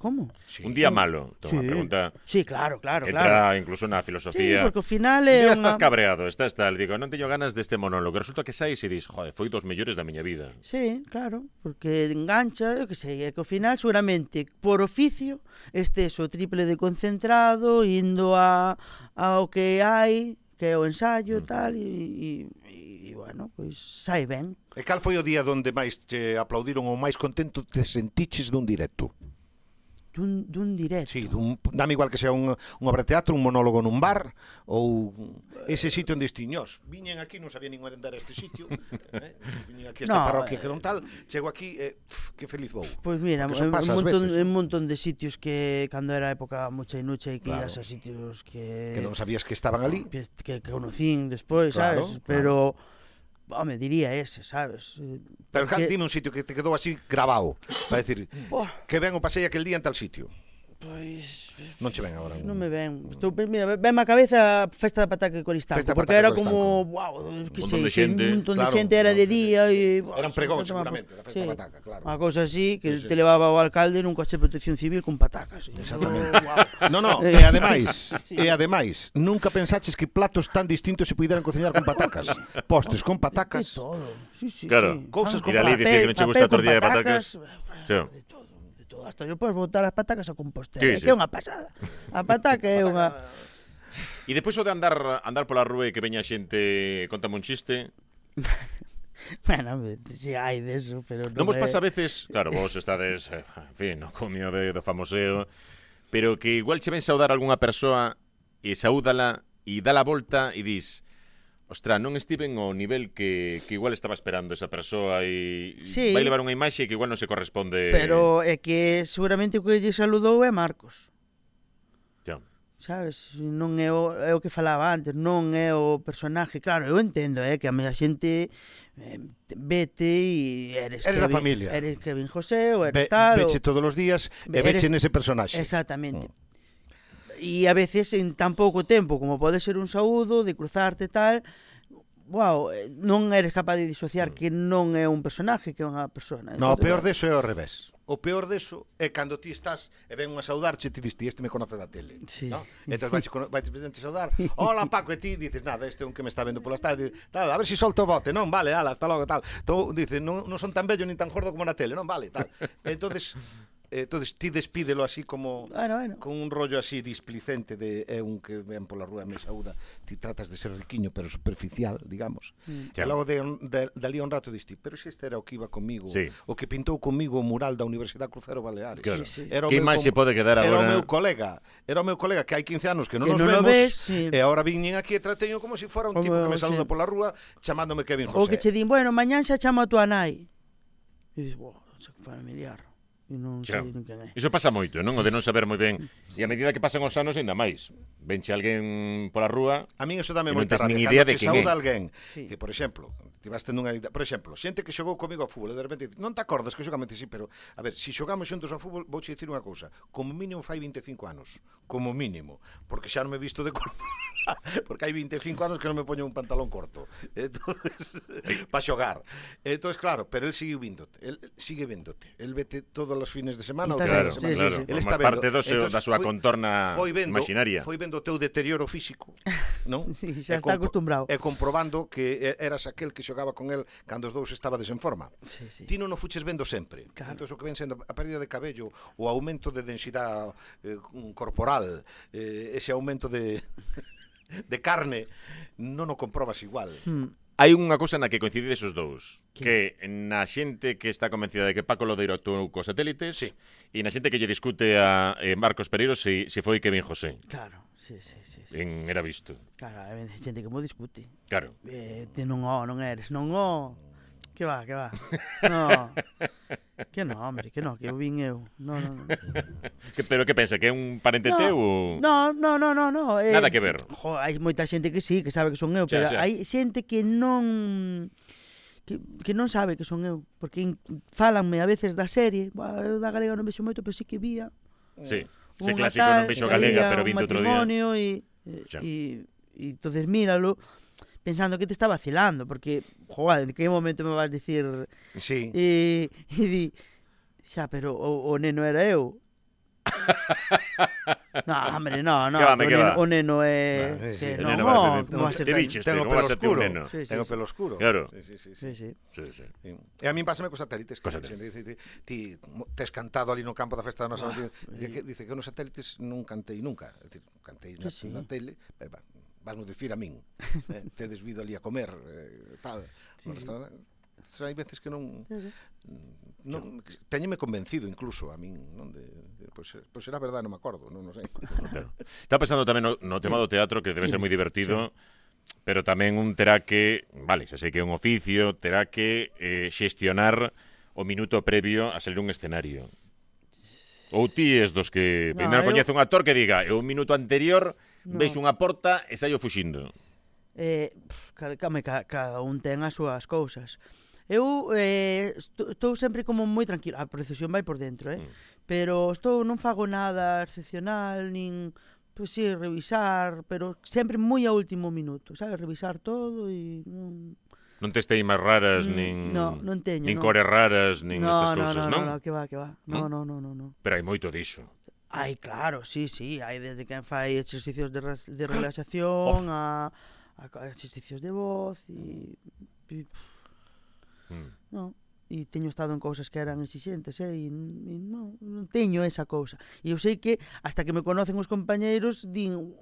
B: Como?
A: Sí. Un día malo, unha pregunta.
B: Sí, claro.
A: Que entra incluso na filosofía.
B: Sí, porque ao final é
A: un día estás cabreado, estás tal, digo, non teño ganas deste monólogo. Resulta que saís e dis, joder, foi dos mellores da miña vida.
B: Sí, claro, porque engancha, eu que sei, é que ao final seguramente por oficio estes o triple de concentrado, indo ao que hai, que é o ensayo, tal, e bueno, pois sai ben.
C: E cal foi o día onde máis te aplaudiron ou máis contento te sentiches dun directo?
B: Dun directo.
C: Sí, dame igual que sea un obra de teatro, un monólogo nun bar ou ese sitio onde estiños. Viñen aquí, non sabía nin andar a este sitio, viñen aquí a esta parroquia que non tal, chego aquí que feliz vou.
B: Pois mira, un montón de sitios que cando era época mucha e nucha e que ias a sitios que
C: non sabías que estaban ali,
B: que conocín despois, sabes, pero home, diría ese, sabes?
C: Pero dime un sitio que te quedou así grabado para decir que ben o pasei aquel día en tal sitio.
B: Pois
C: Non che ven agora.
B: Non me ven. Mira, venme a cabeza a festa da pataca de Coristanco,
C: Festa da
B: porque
C: pataca
B: era
C: de
B: como,
C: Coristanco.
B: wow, que
A: Un montón de
B: sei,
A: xente.
B: un montón de
C: Claro,
B: xente, era de día e...
C: Eran pregóns, seguramente, da festa da pataca, claro.
B: Unha cosa así, que
C: Sí, sí.
B: te levaba o alcalde nun coche de protección civil con patacas.
C: Exactamente.
B: Wow.
C: No, e ademais, nunca pensaches que platos tan distintos se puderan cociñar con patacas. Postres con
B: De
C: patacas.
B: todo. Sí,
A: Claro.
B: sí.
C: Cousas con
A: Ir ali dicir que non che gusta a tortilla de patacas. Sí.
B: De todo. Hasta yo podes botar as patacas a Compostela,
A: Sí, sí.
B: que é unha pasada. A pataca é unha...
A: E despois o de andar pola rúa e que veña xente contame un chiste.
B: Bueno, si hai deso, pero
A: Non vos
B: é-
A: pasa a veces, claro, vos estades, en fin, no comio do famoseo, pero que igual che ven saudar algunha persoa e saúdala e dá a volta e dis, ostra, non estiven ao nivel que igual estaba esperando esa persoa e
B: Sí.
A: vai levar unha imaxe que igual non se corresponde.
B: Pero é que seguramente o que lle saludou é Marcos.
A: Xa.
B: Sabes? Non é o que falaba antes, non é o personaje. Claro, eu entendo, que a media xente vete e eres
C: Eres da
B: Kevin,
C: familia.
B: Eres Kevin José ou eres tal.
C: Veche todos os días e
B: Eres-
C: veche nese personaxe.
B: Exactamente. E a veces en tan pouco tempo como pode ser un saúdo, de cruzarte tal, wow, non eres capaz de disociar que non é un personaje, que é unha persona.
C: No, o
B: Entonces,
C: peor deso é ao revés. O peor deso é cando ti estás e ven unha saudarche e ti dis, este me conoce da tele.
B: Sí.
C: No? Entón vai te saudar. Hola, Paco, e ti dices, nada, este é un que me está vendo polas tardes. Tal, a ver se solto o bote. Non, vale, ala, hasta logo, tal. Tú dices, non son tan bello nin tan gordo como na tele. Non, vale, tal. Entonces ti despídelo así como
B: Bueno.
C: con un rollo así displicente de un que ven pola rúa me saúda, ti tratas de ser riquiño pero superficial, digamos. E logo dali a un rato diste, pero se este era o que iba comigo,
A: Sí.
C: o que pintou comigo o mural da Universidade Crucero Baleares.
A: Claro.
B: Sí, sí.
C: Era o
A: Que
C: meu
A: máis se pode quedar
C: Era o
A: agora?
C: meu colega que hai 15 anos que non
B: Que
C: nos
B: non o
C: vemos,
B: ves, sí.
C: e agora viñen aquí e trateño como se fora un
B: Como,
C: tipo que me saluda
B: sí.
C: pola rúa chamándome Kevin
B: O
C: José.
B: que che din, bueno, mañán xa chamo a tua nai. E dices, wow, xa familiar. E non
A: Xa.
B: sei nin quen é.
A: Iso pasa moito, non? O de non saber moi ben. E a medida que pasan os anos ainda máis. Venche alguén pola rúa.
C: A min eso dame
A: E non
C: moita
A: tes
C: rabia.
A: nin
C: Cando
A: idea de
C: te
A: quen é.
C: saúda alguén,
B: Sí.
C: que, por exemplo, ti vas tendo unha idea, por exemplo, xente que xogou comigo ao fútbol, e de repente, non te acordas que xogamos, sí, pero, a ver, se xogamos xuntos ao fútbol, vouche dicir unha cousa, como mínimo fai 25 anos, como mínimo, porque xa non me he visto de corto, porque hai 25 anos que non me poño un pantalón corto, entonces, para xogar. Entonces, claro, pero el sigue véndote, el vete todos os fines de semana,
B: Está
A: Claro,
B: Sí,
A: claro.
B: sí.
C: El
A: Forma
C: está vendo.
A: parte
C: Entonces,
A: da súa contorna imaginaria.
C: Foi vendo o teu deterioro físico, non?
B: Sí, xa
C: E
B: está acostumbrado.
C: E comprobando que eras aquel que xogaba con el cando os dous estabades en forma.
B: Sí, sí.
C: Ti non o fuches vendo sempre.
B: Claro.
C: Entón, o que ven sendo a pérdida de cabello, o aumento de densidade corporal, ese aumento de de carne, non o comprobas igual.
A: Hai unha cousa na que coincidides os dous, que na xente que está convencida de que Paco Lodeiro actuou cos satélites,
C: Sí.
A: e na xente que lle discute a Marcos Pereiro se foi Kevin José.
B: Claro, sí.
A: Era visto.
B: Claro, hai xente que mo discute.
A: Claro.
B: Ti non eres, non o. Que va. No. Que non, hombre, que eu vin eu. No.
A: Pero que pensa, que é un parente teu ou...
B: No.
A: Nada que ver.
B: Hai moita xente que sí, que sabe que son eu,
A: Xa,
B: pero
A: xa.
B: hai xente que non que non sabe que son eu, porque fálanme a veces da serie, eu da galega non vexo moito, pero sí que vía.
A: Sí. Ese
B: Unha
A: clásico non
B: tal,
A: vexo
B: que
A: galega,
B: había
A: pero
B: un
A: vinte outro día.
B: matrimonio
A: Xa.
B: e entonces míralo pensando que te está vacilando, porque, joder, en que momento me vas dicir
C: Sí.
B: e di, xa, pero o neno era eu. No, hombre, no,
A: Que va, que va.
B: o neno é
C: Vale,
B: que
C: sí.
A: O
B: non,
A: neno vai-
B: como va a ser
A: Te
B: tan-
A: diches,
C: Tengo
A: como va a
C: pelo
A: ser teu
C: oscuro.
A: neno.
B: Sí,
C: Tengo pelo oscuro.
A: Claro.
C: Sí.
B: Sí.
A: Sí.
C: Sí. E a min pásame cos satélites, que
A: Cos
C: a xente dice, ti tes cantado ali no campo da festa da nosa dice que nos satélites non cantei nunca, é dicir, cantei
B: Sí.
C: na tele, pero vasnos dicir a min, tedes vido ali a comer, tal, no restaurante. Hai veces que non teñeme convencido incluso a min, non pois será verdade, non me acordo, non sei.
A: Claro. Está pensando tamén no tema do teatro, que debe ser moi divertido, pero tamén un terá que, vale, xa sei que é un oficio, terá que xestionar o minuto previo a salir un escenario. Ou ti es dos que
B: No,
A: primeiro
B: eu-
A: coñece un actor que diga, e un minuto anterior veis unha porta e saio fuxindo.
B: Cada un ten as súas cousas. Eu estou sempre como moi tranquilo. A procesión vai por dentro, Pero non fago nada excepcional, nin, pois sí, revisar, pero sempre moi a último minuto, sabes? Revisar todo e
A: Non tes teimas raras, nin
B: non teño,
A: nin cores raras, nin estas cousas, non?
B: No, que va. No.
A: Pero hai moito diso.
B: Ai, claro, sí, hai desde quen fai exercicios de relaxación a exercicios de voz e non. E teño estado en cousas que eran exixentes, e non teño esa cousa. E eu sei que, hasta que me conocen os compañeiros, din,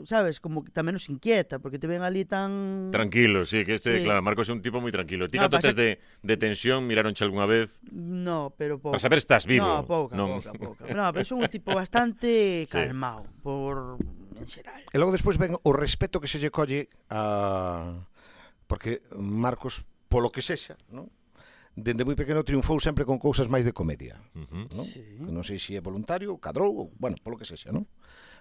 B: sabes, como que tamén nos inquieta, porque te ven ali tan...
A: Tranquilo, sí, que claro, Marcos é un tipo moi tranquilo. Ti canto tes de tensión, miraronche algunha vez?
B: No, pero pouco.
A: Para saber estás vivo.
B: No, pouca. No, pero son un tipo bastante calmado, en xeral.
C: E logo despois ven o respeto que se lle colle a... Porque Marcos, polo que sexa, non? Dende moi pequeno triunfou sempre con cousas máis de comedia, non?
B: Sí.
C: Que non sei se é voluntario, cadrou, bueno, polo que sexa, non?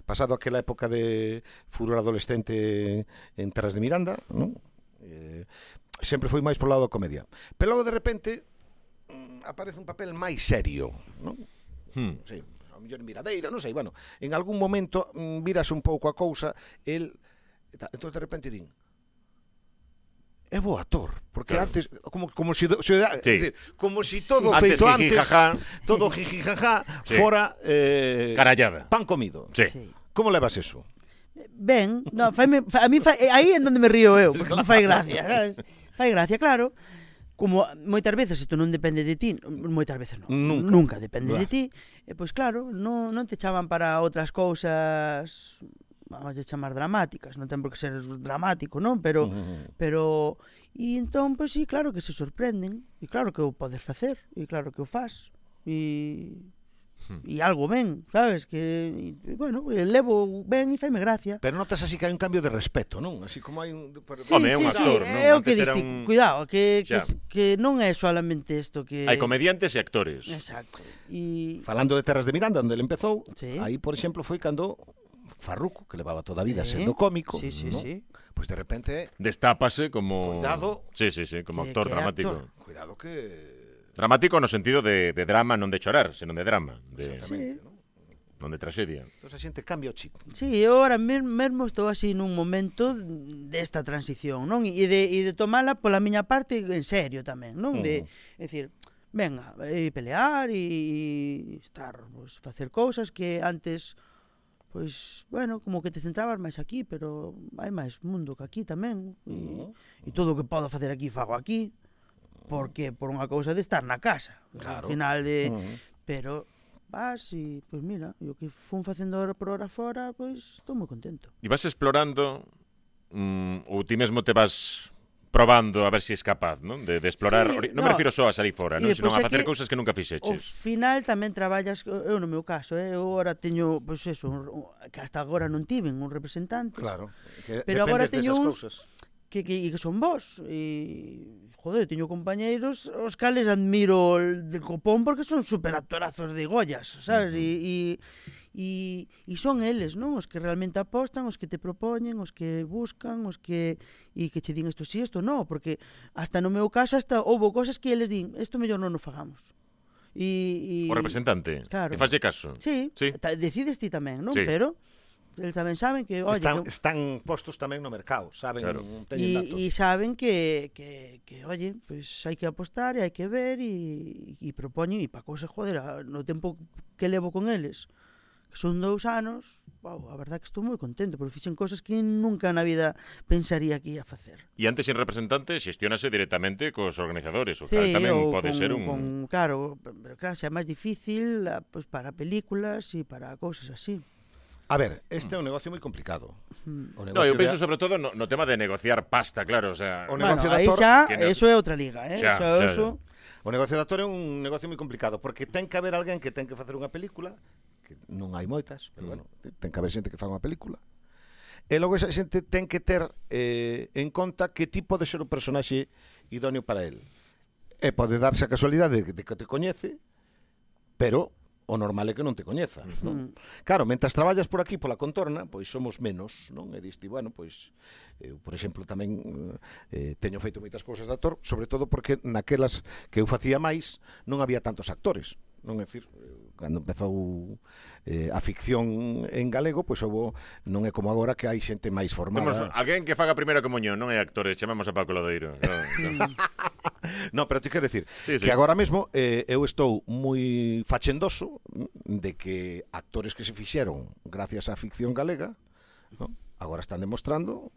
C: Pasado aquela época de furor adolescente en Terras de Miranda, non? Sempre foi máis polo lado da comedia. Pero logo de repente aparece un papel máis serio, non? Non sei, a mellor Miradeira, non sei, bueno, en algún momento viras un pouco a cousa, entón de repente din, é bo actor, porque claro. Antes como si decir, como si todo feito antes, todo jijijaja fora
A: carallada.
C: Pan comido.
A: Sí.
C: Como levas eso?
B: Ben, no, a mí aí é onde me río eu, porque me fai gracia, sabes? Fai gracia, claro. Como moitas veces isto non depende de ti, moitas veces non, nunca depende de ti, pois claro, non te chaman para outras cousas, vamos a chamar dramáticas, non ten por que ser dramático, non? Pero e entón, pois sí, claro que se sorprenden, e claro que o podes facer, e claro que o faz, e algo ben, sabes? Que, bueno, levo ben e faime gracia.
C: Pero notas así que hai un cambio de respeto, non? Así como hai un...
B: Sí, é o que distingo. Cuidado, que non é solamente isto que...
A: Hai comediantes e actores.
B: Exacto.
C: Falando de Terras de Miranda, onde ele empezou, aí, por exemplo, foi cando Farruco, que levaba toda a vida sendo cómico, ¿no? Pues de repente
A: destápase como...
C: Cuidado.
A: Sí, como actor dramático.
C: Actor. Cuidado que...
A: Dramático no sentido de drama, non de chorar, senón de drama. Non de tragedia.
C: Entón a xente cambia o chip.
B: Sí, eu ahora mesmo estou así nun momento desta transición, non? E de tomala pola miña parte en serio tamén, non? De decir, venga, pelear e estar, pues, facer cousas que antes... Pois, bueno, como que te centrabas máis aquí, pero hai máis mundo que aquí tamén. E todo o que podo facer aquí, fago aquí. Porque por unha cousa de estar na casa. Claro. Al final de... Pero vas e, pois mira, o que fun facendo hora por hora fora, pois estou moi contento.
A: E vas explorando, ou ti mesmo te vas probando a ver se és capaz, non? De explorar, non me refiro só a salir fora, non? Senón a facer cousas que nunca fixeches.
B: Ao final tamén traballas, eu no meu caso, eu agora teño, pois eso, que hasta agora non tiven un representante.
C: Claro,
B: pero agora teño uns que son vos e joder, teño compañeiros os cales admiro del copón porque son superactorazos de Goyas, sabes? E son eles, non? Os que realmente apostan, os que te propoñen, os que buscan, os que que che din isto sí, isto non, porque hasta no meu caso hasta houve cosas que eles din, isto mellor non o fagamos. O
A: representante, claro. E faslle caso.
B: Sí. Decides ti tamén, non? Sí. Pero eles tamén saben que, oye,
C: están postos tamén no mercado, saben, claro. Teñen datos.
B: E saben que oye, pues hai que apostar e hai que ver e propoñen, e para cousas, joder, no tempo que levo con eles, que son 2 anos, wow, a verdad que estou moi contento, porque fixen cosas que nunca na vida pensaría que ia facer.
A: E antes, sin representante, xestionase directamente cos organizadores, o que tamén pode ser un...
B: Claro, pero claro, xa é máis difícil pues, para películas e para cousas así.
C: A ver, este é un negocio moi complicado.
A: No, eu penso sobre todo no tema de negociar pasta, claro, o sea...
C: O negocio
B: de actor... Eso é outra liga,
C: Xa. O negocio de actor é un negocio moi complicado, porque ten que haber alguén que ten que facer unha película, que non hai moitas, pero bueno, ten que haber xente que faga unha película. E logo esa xente ten que ter en conta que tipo de ser o personaxe idóneo para el. E pode darse a casualidade de que te coñece, pero o normal é que non te coñeza, non? Claro, mentras traballas por aquí pola contorna, pois somos menos, non? E diste, bueno, pois eu, por exemplo, tamén teño feito moitas cousas de actor, sobre todo porque naquelas que eu facía máis non había tantos actores. non é dicir, cando empezou a ficción en galego, pois non é como agora que hai xente máis
A: Temos
C: formada.
A: alguén que faga primeira comunión, non é actor, chamamos a Paco Lodeiro.
C: No, pero te quero decir
A: Sí.
C: que agora mesmo eu estou moi fachendoso de que actores que se fixeron gracias á ficción galega, ¿no? Agora están demostrando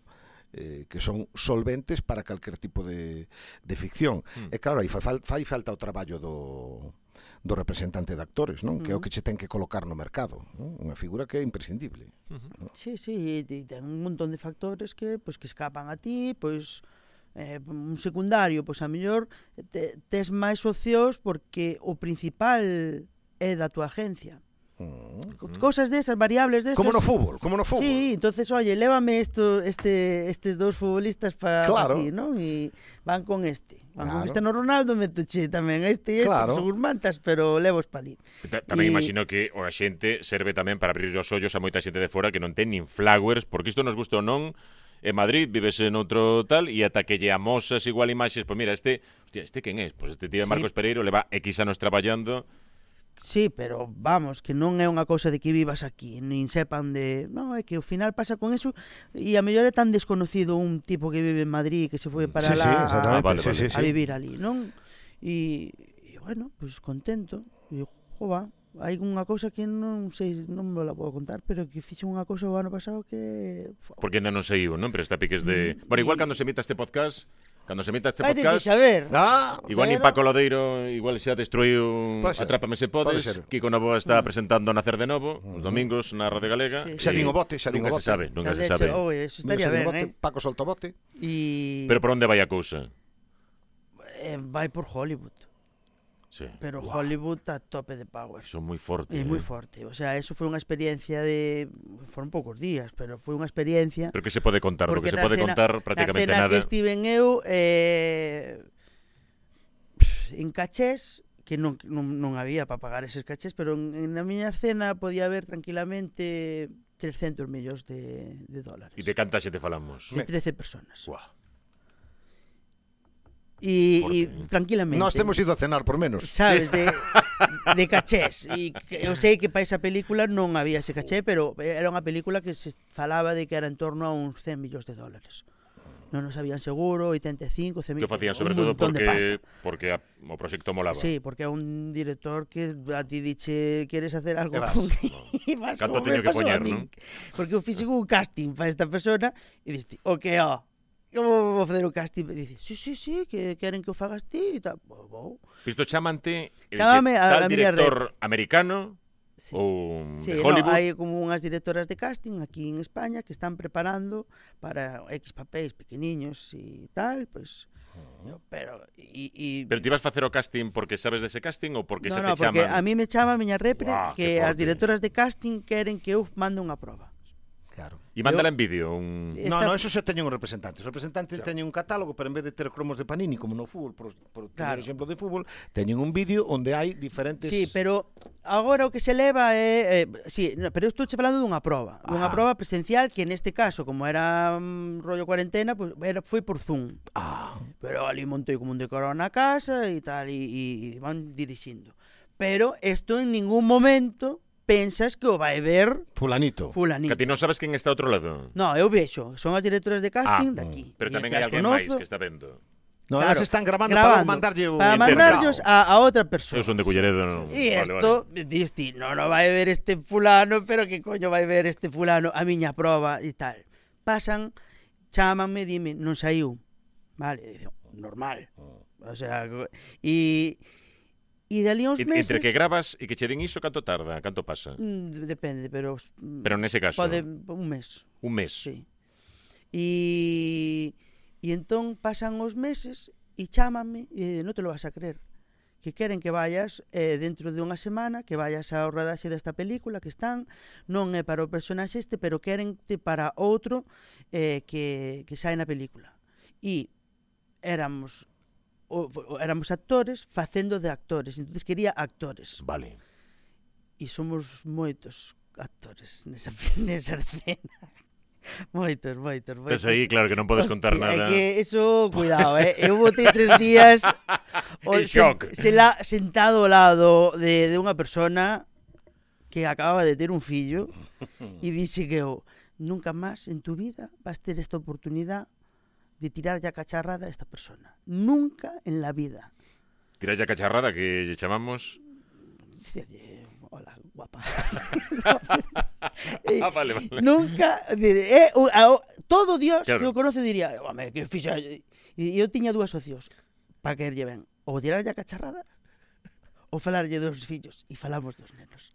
C: que son solventes para calquer tipo de ficción. E claro, aí fai falta o traballo do representante de actores, non? Que é o que che ten que colocar no mercado, non? Unha figura que é imprescindible.
B: Sí, e ten un montón de factores que escapan a ti, pois un secundario, pois a mellor tes máis socios porque o principal é da túa agencia. Cosas desas, variables desas.
C: Como no fútbol.
B: Sí, entonces, oye, lévame estes dous futbolistas para
C: Claro.
B: aquí, ¿no? E van con este. Van
C: Claro.
B: con Cristiano Ronaldo, metoche tamén este,
C: Claro.
B: que son mantas, pero levos pa ali.
A: Tamén imagino que o axente serve tamén para abrir os ollos a moita xente de fora que non ten nin flowers, porque isto nos gusta ou non. En Madrid vives en outro tal e ata que lle amosas igual imaxes, pois mira, este quen é? Pois este tío de Marcos Pereiro leva X anos traballando.
B: Sí, pero vamos, que non é unha cousa de que vivas aquí, nin sepan de... Non, é que ao final pasa con eso e a mellor é tan desconocido un tipo que vive en Madrid que se foi para
C: Sí,
B: lá
C: exactamente.
B: a vivir ali, non? E bueno, pois contento. E jova, hai unha cousa que non sei, non me la podo contar, pero que fixe unha cousa o ano pasado que...
A: Porque ainda non saiu, non? Pero está piques de... Bueno, igual cando se emita este podcast...
B: Vai de saber.
A: Igual nin Paco Lodeiro igual xa destruiu Atrápame se podes. Kiko Novoa está presentando Nacer de Novo os domingos na Radio Galega.
C: Xa din o bote.
A: Nunca se sabe.
B: Eso estaría ben,
C: Paco solta o bote.
A: Pero por onde vai a cousa?
B: Vai por Hollywood.
A: Sí.
B: Pero Hollywood a tope de power.
A: Son moi forte.
B: É moi forte. O sea, eso foi unha experiencia de... Foron poucos días, pero foi unha experiencia...
A: Pero que se pode contar? Do que se pode contar prácticamente
B: nada. Na
A: nada.
B: cena que estiven eu en cachés, que non había para pagar eses cachés, pero na miña cena podía haber tranquilamente 300 millóns de dólares.
A: E de canta xente falamos?
B: De 13 personas.
A: Guau.
B: E tranquilamente.
C: Nós temos ido a cenar por menos.
B: Sabes, de cachés. E eu sei que para esa película non había ese caché, pero era unha película que se falaba de que era en torno a uns 100 millóns de dólares. Non nos habían seguro, 85, 100 millóns.
A: Que facían sobre todo porque o proxecto molaba.
B: Sí, porque é un director que a ti diche queres hacer algo con e vas
A: Canto
B: como
A: teño
B: me
A: que
B: pasou
A: poñer,
B: a min.
A: non?
B: Porque eu fixen un casting para esta persona e diste, como vou facer o casting? E dice, sí, que queren que o fagas ti e tal.
A: Isto chamante
B: Chámame
A: tal
B: a miña
A: director americano
B: sí.
A: ou
B: Sí,
A: de Hollywood.
B: hai como unhas directoras de casting aquí en España que están preparando para X papéis pequeniños e tal, pues pero
A: Pero ti vas facer o casting porque sabes dese casting ou porque se te
B: porque
A: chaman?
B: a mí me chama a miña repre que as
A: forte.
B: directoras de casting queren que eu mande unha proba.
C: Claro.
A: E mándala en vídeo
C: No, eso xa teñen un representante. Os representantes teñen un catálogo, pero en vez de ter cromos de Panini como no fútbol, por exemplo de fútbol, teñen un vídeo onde hai diferentes...
B: Sí, pero agora o que se leva é... pero eu estou falando dunha proba. Dunha proba presencial que neste caso, como era rollo cuarentena, pues, foi por Zoom. Pero ali montei como un decorado na casa e tal, e van dirixindo. Pero isto en ningún momento... pensas que o vai ver
C: Fulanito.
A: Que ti non sabes quen está ao outro lado.
B: No, eu vexo, son as directoras de casting daqui.
A: Pero tamén hai alguén máis que está vendo.
C: No, claro, elas están gravando para
B: mandarllos a outra persona.
A: Eu son de Culleredo.
B: E isto, diste, non vai ver este fulano, pero que coño vai ver este fulano a miña proba e tal. Pasan, chámanme, dime, non saiu. Vale, normal. O sea, E dali uns meses...
A: Entre que gravas e que che din iso, canto tarda? Canto pasa?
B: Depende, pero...
A: Pero nese caso...
B: Pode un mes.
A: Un mes?
B: Sí. E entón pasan os meses e chámanme e non te lo vas a creer. Que queren que vayas dentro de unha semana, que vayas ao rodaxe desta película que están, non é para o personaxe este, pero querente para outro que sae na película. E éramos actores facendo de actores, entonces quería actores.
A: Vale.
B: E somos moitos actores nesa escena. Moitos.
A: Tes aí, claro, que non podes contar nada.
B: É que eso, cuidado, eu botei 3 días
A: En shock.
B: sentado ao lado de unha persona que acababa de ter un fillo e dixe que nunca máis en tu vida vas ter esta oportunidade de tirar ya cacharrada a esta persona. Nunca en la vida.
A: Tirar ya cacharrada, que lle chamamos...
B: Dicirlle, hola, guapa.
A: Vale.
B: Nunca, todo Dios
A: Claro.
B: que o conoce diría, home, que fixa. E eu tiña dúas opcións para caerlle ben. Ou tirar ya cacharrada ou falarlle dos fillos. E falamos dos nenos.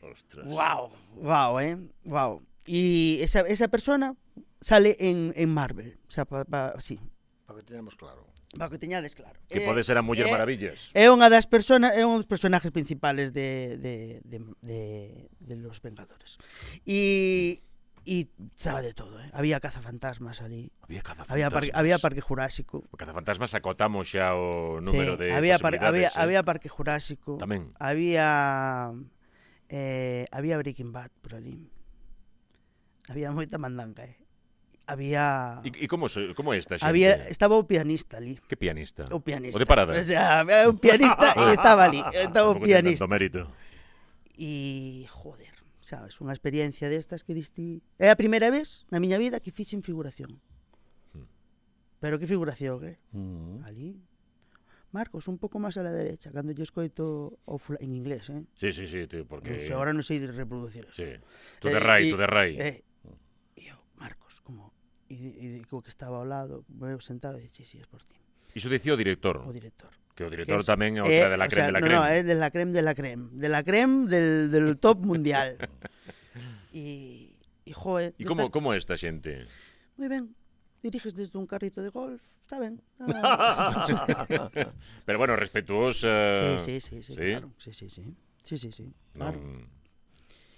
A: Ostras.
B: Wow. E esa persona sale en Marvel. O sea, sí,
C: Para que teñamos claro.
B: para que teñades claro.
A: Que pode ser a Muller Maravillas.
B: É unha das personas, é un dos personajes principales de los Vengadores. E estaba de todo, Había cazafantasmas ali. Había parque jurásico.
A: O cazafantasmas acotamos xa o número de
B: había
A: posibilidades.
B: había parque jurásico.
A: Tamén.
B: Había Breaking Bad por ali. Había moita mandanga, Había
A: E como é esta xente?
B: estaba o pianista ali.
A: Que pianista?
B: O pianista.
A: O de parada?
B: O sea, había un pianista e estaba ali. Estaba o
A: Tampouco ten
B: pianista.
A: tanto mérito.
B: E, joder, sabes, unha experiencia destas que diste... É a primeira vez na miña vida que fixen figuración. Pero que figuración, Ali. Marcos, un pouco máis a la derecha, cando lle escoito en inglés,
A: Sí, tío, porque...
B: Non sei, agora non sei reproducir eso.
A: Sí. To the right.
B: E eu, Marcos, como... E co que estaba ao lado, eu sentado e dixe, sí, es por ti.
A: Iso dicía o director.
B: O director.
A: Que o director tamén é outra de la creme de la creme.
B: No, é de la creme de la creme. De la creme del top mundial. E joe...
A: E como é esta xente?
B: Moi ben. Diriges desde un carrito de golf. Está ben.
A: Pero bueno, respetuosa...
B: Sí, claro. Sí, claro.
A: Non...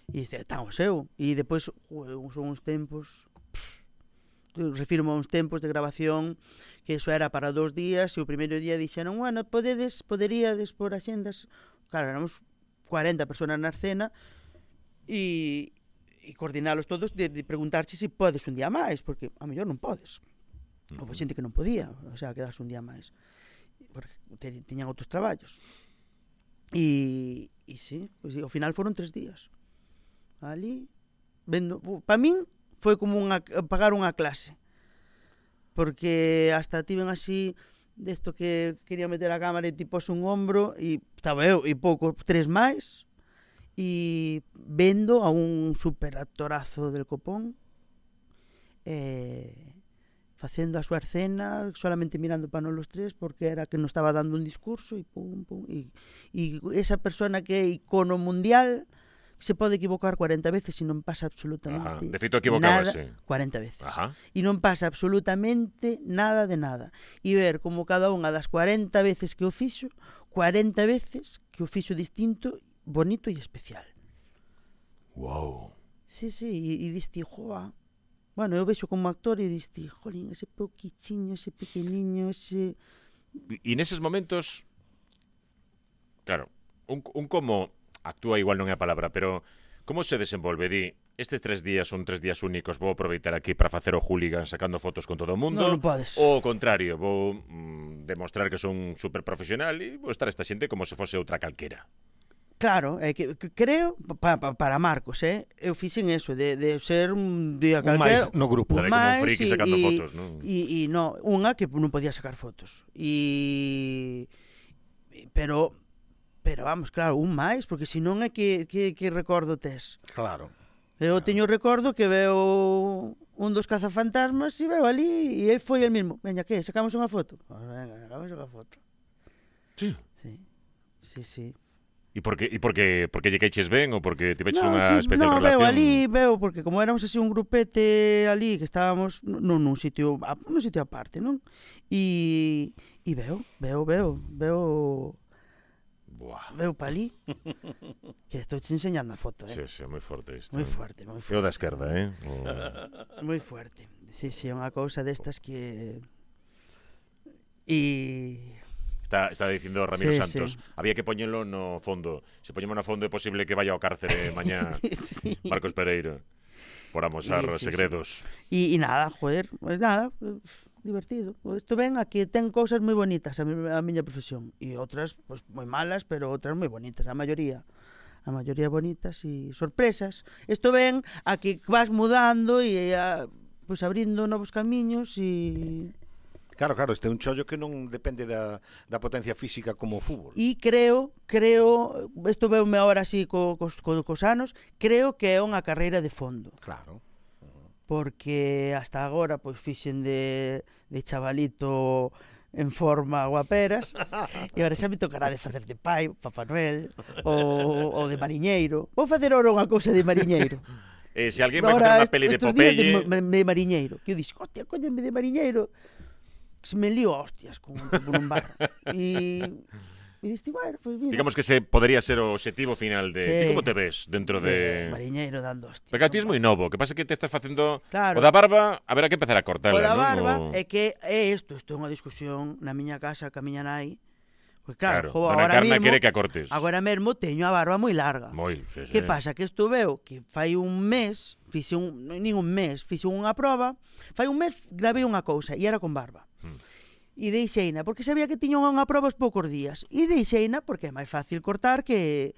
B: E está o seu. E depois son uns tempos... Refirmo a uns tempos de grabación que eso era para 2 días e o primeiro día dixeron, bueno, poderíades por axendas. Claro, éramos 40 personas na escena e coordinalos todos de preguntarche se podes un día máis, porque a mellor non podes. Houve xente que non podía, o sea, quedarse un día máis, porque tiñan outros traballos. E sí, pues, ao final foron 3 días. Ali, vendo, para min foi como pagar unha clase, porque hasta tiven así desto que quería meter a cámara e tipo un hombro e estaba eu e pouco 3 máis e vendo a un super actorazo del copón facendo a súa escena solamente mirando para nós los 3 porque era que nos estaba dando un discurso e pum e esa persona que é icono mundial se pode equivocar 40 veces e non pasa absolutamente
A: de feito equivocábase
B: nada, 40 veces.
A: Ajá.
B: E non pasa absolutamente nada de nada. E ver como cada unha das 40 veces que o fixo, 40 veces que o fixo distinto, bonito e especial.
A: Wow.
B: Sí, e diste, joa. Bueno, eu vexo como actor e diste, jolín, ese poquichiño, ese pequeniño, ese...
A: E neses momentos, claro, un como... actúa igual non é a palabra, pero como se desenvolve? Di, estes 3 días son 3 días únicos, vou aproveitar aquí para facer o hooligan sacando fotos con todo o mundo.
B: Non podes.
A: Ou ao contrario, vou demostrar que son super profesional e vou estar esta xente como se fose outra calquera.
B: Claro, é que creo, para Marcos, eu fixen eso, de ser un día
C: máis
B: calquera.
C: no grupo.
A: Como un friki sacando fotos, non?
B: E no, unha que non podía sacar fotos. Pero vamos, claro, un máis, porque senón é que recordo tes.
C: Claro.
B: Eu teño recordo que veo un dos cazafantasmas e veo ali e ele foi el mismo. Veña, que, sacamos unha foto? Pues venga, sacamos unha foto.
A: Sí.
B: Sí.
A: E por que lle queixes ben ou porque tiveches unha especial
B: relación?
A: relación?
B: Veo, porque como éramos así un grupete ali que estábamos nun sitio aparte, non? E veo
A: Buah.
B: Veu pa ali que estou te enseñando a foto,
A: Sí, moi forte isto.
B: Moi forte.
A: Eu da esquerda,
B: Moi forte. Sí, é unha cousa destas que... E
A: Está dicindo Ramiro
B: Sí,
A: Santos.
B: sí.
A: Había que poñelo no fondo. Se poñemos no fondo é posible que vaya ao cárcere mañá
B: Sí.
A: Marcos Pereiro por amosar
B: Sí, sí,
A: segredos.
B: E nada, joder, pues nada, divertido. Isto ben, aquí ten cousas moi bonitas a miña profesión e outras pues moi malas, pero outras moi bonitas, a maioría bonitas e sorpresas. Isto ben, aquí vas mudando e pues abrindo novos camiños e
C: Claro, este é un chollo que non depende da potencia física como o fútbol.
B: e creo, isto veume agora así cos anos, creo que é unha carreira de fondo.
C: Claro.
B: Porque hasta agora pois fixen de chavalito en forma guaperas e agora xa me tocará de facer de pai, Papá Noel ou de mariñeiro. Vou facer agora unha cousa de mariñeiro.
A: Se alguén vai facer unha peli de
B: estos días
A: Popeye...
B: de mariñeiro, que eu dixo, hostia, coñenme de mariñeiro. Se me lío a hostias con un bar. E diste, bueno, pues mira.
A: Digamos que se podría ser o objetivo final de...
B: Sí.
A: Ti como te ves dentro de...
B: Mariñeiro dando hostias.
A: Porque a ti es moi novo, que pasa que te estás facendo...
B: Claro.
A: O da barba, haberá que empezar a cortala,
B: O da
A: non?
B: barba
A: O...
B: é que é isto é unha discusión na miña casa ca miña nai. Pois claro,
A: Dona
B: agora
A: Encarna
B: mesmo,
A: quere que a cortes.
B: agora mesmo teño a barba moi larga.
A: Moi, sí.
B: Que pasa? Que isto veo que fai un mes, fixe unha proba, fai un mes gravei unha cousa e era con barba. E deixeina, porque sabía que tiña unha proba os poucos días. E deixeina porque é máis fácil cortar que...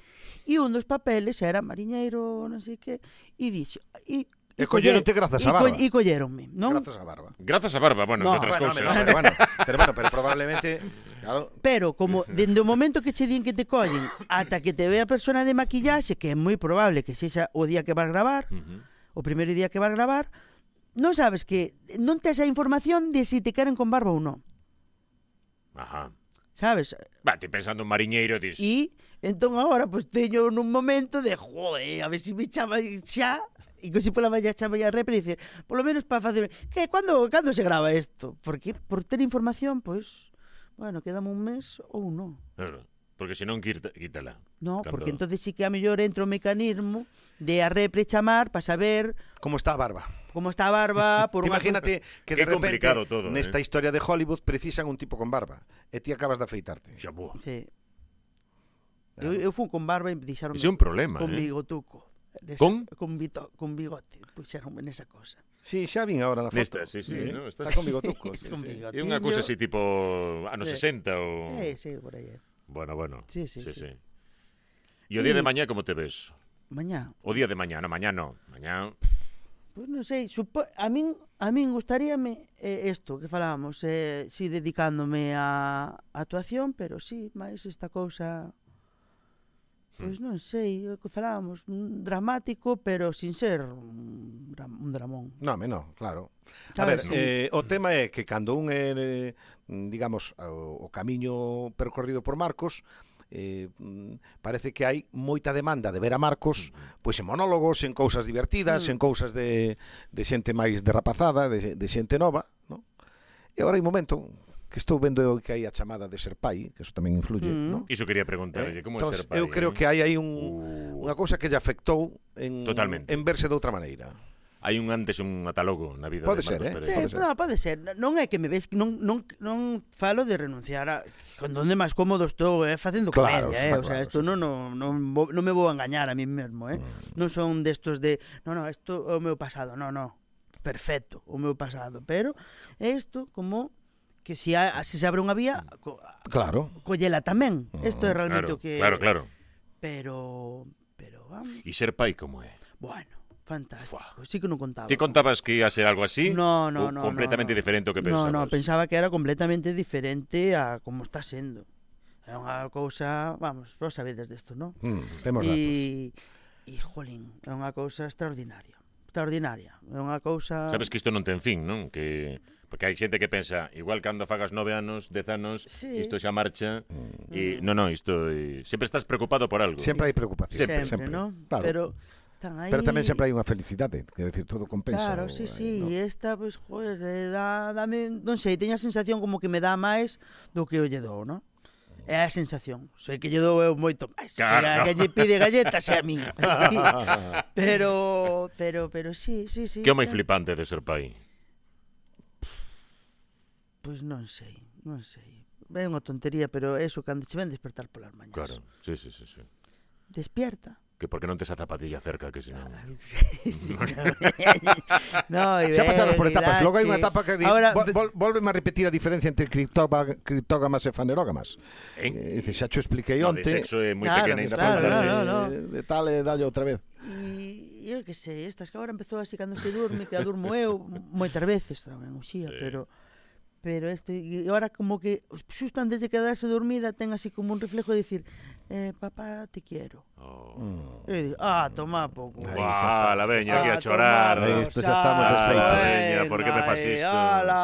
B: E un dos papeles era mariñeiro, non sei que, e dixo...
C: E colleronte grazas á barba.
B: E colleronme, non?
C: Grazas á barba.
A: Grazas a barba, bueno,
B: No,
A: entre outras cousas.
C: Pero probablemente, claro,
B: Pero como dende o momento que che din que te collen ata que te ve a persona de maquillaxe, que é moi probable que sexa o día que vas gravar, o primeiro día que vas gravar, non sabes que non tes a información de si te queren con barba ou non.
A: Ajá.
B: Sabes?
A: Va, ti pensando en mariñeiro, dis...
B: E entón agora pues teño nun momento de joder, a ver se me chama xa e que se pola mañá chama a repre e dice, polo menos para facer que cando se grava isto? Porque por ter información, pois bueno, quedame un mes ou non.
A: Claro, porque se non quítala.
B: No,
A: Cando-
B: porque entonces sí que a mellor entra o mecanismo de a repre chamar para saber
C: como está a barba.
B: como está a barba por unha...
C: Imagínate que
A: Qué
C: de repente
A: complicado todo,
C: nesta historia de Hollywood precisan un tipo con barba e ti acabas de afeitarte.
A: Xa, boa.
B: Sí. Eu fui con barba e dixeron
A: Ese é un problema,
B: con
A: eh?
B: bigotuco.
A: Con?
B: Con bigote, puxeronme nesa cosa.
C: Sí, xa vin agora na foto.
A: Nesta, sí, no,
C: Está con bigotuco.
B: Sí, con bigote.
A: É unha cousa así tipo anos
B: Sí.
A: 60 ou...
B: Sí, por aí.
A: Bueno.
B: Sí.
A: E o día de mañá como te ves?
B: Mañá,
A: O día de mañá, no, mañá no. Mañá...
B: pois non sei, a min gustaríame isto que falábamos, si dedicándome a actuación, pero sí, máis esta cousa, pois non sei, o que falábamos, dramático, pero sin ser un dramón.
C: No, claro. A
B: Sabes,
C: ver, o tema é que cando un é, digamos, o camiño percorrido por Marcos, parece que hai moita demanda de ver a Marcos pois en monólogos, en cousas divertidas, en cousas de xente máis derrapazada, de xente nova, ¿no? E agora hai un momento que estou vendo que hai a chamada de ser pai, que eso tamén influye, ¿no?
A: Iso quería preguntarlle, como é
C: Entón,
A: ser pai?
C: eu creo que hai aí unha cousa que lle afectou en
A: Totalmente.
C: verse de outra maneira.
A: Hai un antes e un ata-logo na vida
C: Pode
A: de
C: ser,
A: Marcos
C: eh?
A: Pereiro.
B: Sí, pode ser. Non é que me ves, non falo de renunciar a con onde máis cómodo estou facendo
C: Claro,
B: comedia,
C: está
B: o sea,
C: claro,
B: isto
C: sí,
B: non me vou a engañar a mí mesmo, Non son destos de, isto é o meu pasado, no. Perfecto, o meu pasado, pero é isto como que se se abre unha vía,
C: Claro.
B: collela tamén. Isto é realmente o que
A: Claro.
B: Pero vamos,
A: E ser pai como é?
B: bueno, fantástico. Sí que non contaba.
A: Ti contabas que ia a ser algo así?
B: No,
A: ou completamente diferente ao que pensabas?
B: No, pensaba que era completamente diferente a como está sendo. É unha cousa, vamos, vos sabedes desto, non?
C: Temos datos.
B: E, jolín, é unha cousa extraordinaria. É unha cousa...
A: Sabes que isto non ten fin, non? Porque hai xente que pensa, igual cando fagas 9 anos, 10 anos,
B: Sí.
A: isto xa marcha, e isto... sempre estás preocupado por algo.
C: Sempre hai preocupación.
B: Sempre, non?
C: Claro.
B: Pero están aí...
C: Pero tamén sempre hai unha felicidade, quer decir, todo compensa.
B: Claro, sí, e esta, pois, joder, dame, non sei, teño a sensación como que me dá máis do que o lle dou, non? É a sensación. Sei que lle dou eu moito máis.
A: Claro,
B: Que lle pide galletas é a min. pero sí.
A: Que é o máis flipante de ser pai?
B: Pois non sei. é unha tontería, pero eso, cando che ven despertar polas mañas.
A: Claro, sí.
B: Despierta.
A: Que porque non tes a zapatilla cerca, que senón...
B: Sí, no,
C: Xa pasaron por etapas. Logo hai unha etapa que di,
B: ahora,
C: volveme a repetir a diferencia entre criptógamas e fanerógamas. Dice, xa cho expliquei
A: No,
C: onte.
A: de sexo é moi
B: Claro,
A: pequena ainda
B: claro,
A: para falar
B: no.
C: De tal e dalle outra vez.
B: E eu que sei, estas que agora empezou así cando se durme, que a durmo eu moitas veces tamén, uxía,
A: Sí.
B: pero e agora como que xusto antes de quedarse dormida ten así como un reflejo de dicir, papá, te quiero.
A: Oh.
B: E digo, toma pouco.
C: Aí
A: Guau,
C: xa está.
A: la veña aquí a chorar.
C: Aí isto xa estamos desfeitos.
A: veña, por que me fas isto?
B: Ala,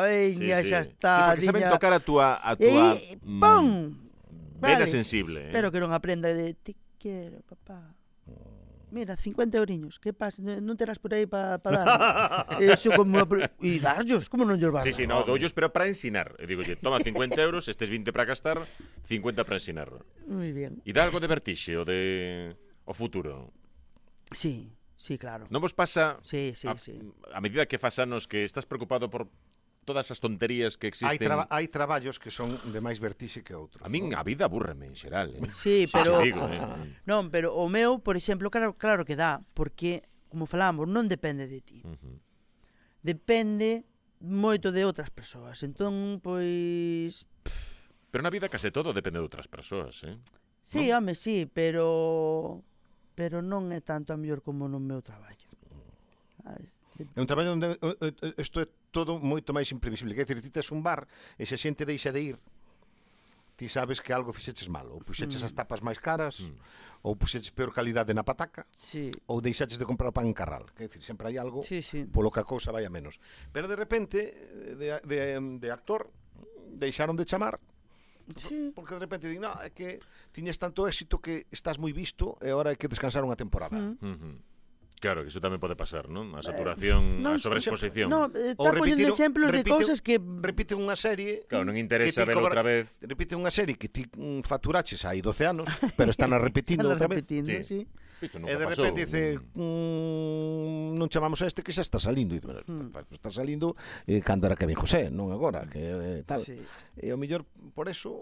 B: veña, xa está.
A: Sí, porque saben
B: diña.
A: tocar a túa
B: ¡Pum!
A: vena
B: Vale.
A: sensible.
B: Espero que non aprenda de te quiero, papá. Mira, 50 euriños, que pasa? Non terás por aí para dar. Eso como... E darllos, como non llos vas?
A: Sí, no, doullos, pero para ensinar. E digo, toma 50 euros, estes 20 para gastar, 50 para ensinar.
B: Moi bien.
A: E dá algo de vertixe o futuro?
B: Sí, claro.
A: Non vos pasa
B: Sí.
A: a medida que fas anos que estás preocupado por todas as tonterías que existen?
C: Hai traballos que son de máis vertixe que outros.
A: A min a vida abúrreme en xeral,
B: Sí, pero...
A: Che digo,
B: Non, pero o meu, por exemplo, claro que dá, porque, como falamos, non depende de ti. Depende moito de outras persoas. Entón, pois...
A: Pero na vida case todo depende de outras persoas,
B: Sí, home, sí, pero non é tanto a mellor como no meu traballo.
C: É un traballo onde isto é todo moito máis imprevisible. Quer dizer, ti tes un bar e se a xente deixa de ir, ti sabes que algo fixeches mal. Ou puxeches as tapas máis caras, ou puxeches peor calidade na pataca,
B: Sí.
C: ou deixaches de comprar pan en Carral. Quer dizer, sempre hai algo
B: Sí.
C: polo que a cousa vai a menos. Pero de repente, de actor, deixaron de chamar,
B: Sí.
C: porque de repente din, é que tiñes tanto éxito que estás moi visto e agora hai que descansar unha temporada.
A: Claro, que iso tamén pode pasar, non? A saturación, a sobreexposición.
B: No, está poñendo exemplos de cousas que...
C: Repite unha serie...
A: Claro, non interesa ver outra vez.
C: Repite unha serie que ti facturaches hai 12 anos, pero están a repetindo outra vez.
B: Sí.
A: Isto
C: E
A: nunca
C: de
A: pasou.
C: repente dice, non chamamos a este que xa está salindo. E, está salindo cando era Kevin José, non agora, que tal.
B: Sí.
C: E ao mellor por eso...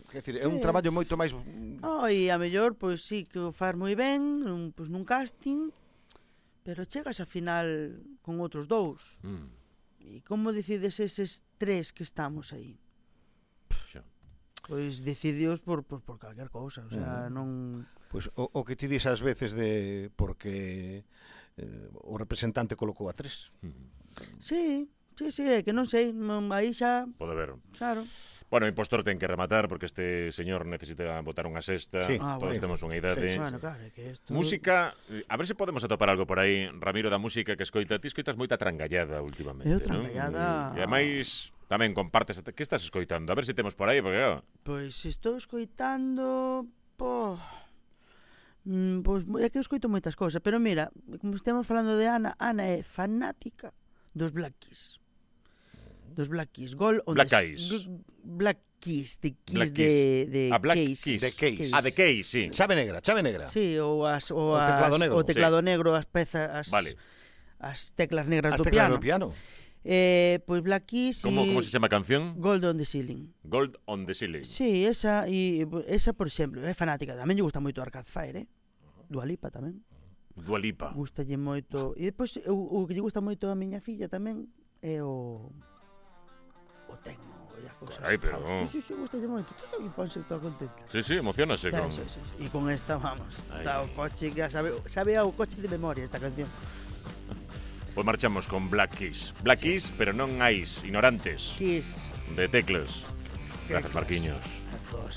C: Quer dizer, é un traballo moito máis...
B: E a mellor, pois sí, que o faz moi ben, pois nun casting, pero chegas a final con outros dous. E como decides eses tres que estamos aí?
A: Xa.
B: Pois decidios por calquer cousa, o sea, non...
C: Pois o que ti dis ás veces de... Porque o representante colocou a tres.
B: Sí, é que non sei, aí xa,
A: Pode ver.
B: claro.
A: Bueno, o impostor ten que rematar porque este señor necesita botar unha sexta.
C: Sí.
A: Todos
C: Bueno,
A: temos unha idade.
B: Bueno, claro, é que esto...
A: Música, a ver se podemos atopar algo por aí, Ramiro, da música que escoita. Ti escoitas moita trangallada últimamente,
B: Eu
A: non?
B: trangallada.
A: E ademais tamén compartes, que estás escoitando? A ver se temos por aí, porque claro,
B: Pois estou escoitando... Pois é que eu escoito moitas cousas, pero mira, como estamos falando de Ana é fanática dos Black Keys. Dos Black Keys.
A: Black Eyes.
B: Black Keys, de
A: Black
B: Keys
A: Keys.
B: de
A: A Black
B: Keys.
A: Keys.
C: De Keys.
A: Ah, de Keys, sí.
C: Chave negra.
B: Sí, o
C: teclado negro.
B: teclado negro, as pezas,
A: Vale.
B: As teclas negras
C: As
B: do
C: teclas
B: piano.
C: do piano.
B: Pois Black Keys
A: Como se chama a canción?
B: Gold on the Ceiling.
A: Gold on the Ceiling.
B: Sí, esa, por exemplo, é fanática. Tamén lle gusta moito Arcade Fire, Dua Lipa tamén.
A: Dua Lipa.
B: Gustalle moito. E depois o que lle gusta moito a miña filla tamén é o tecno e a cousas.
A: Carai, pero-
B: Sí, gustalle moito. Todo e ponse toda contenta.
A: Sí, emocionase con...
B: Sí. E con esta, vamos,
A: Ay.
B: está o coche que sabe ao coche de memoria esta canción.
A: Pois marchamos con Black Keys. Black Keys, pero non Eyes, ignorantes
B: Kiss.
A: de teclas. Gracias,
B: Teclas.
A: Marquiños.
B: A todos.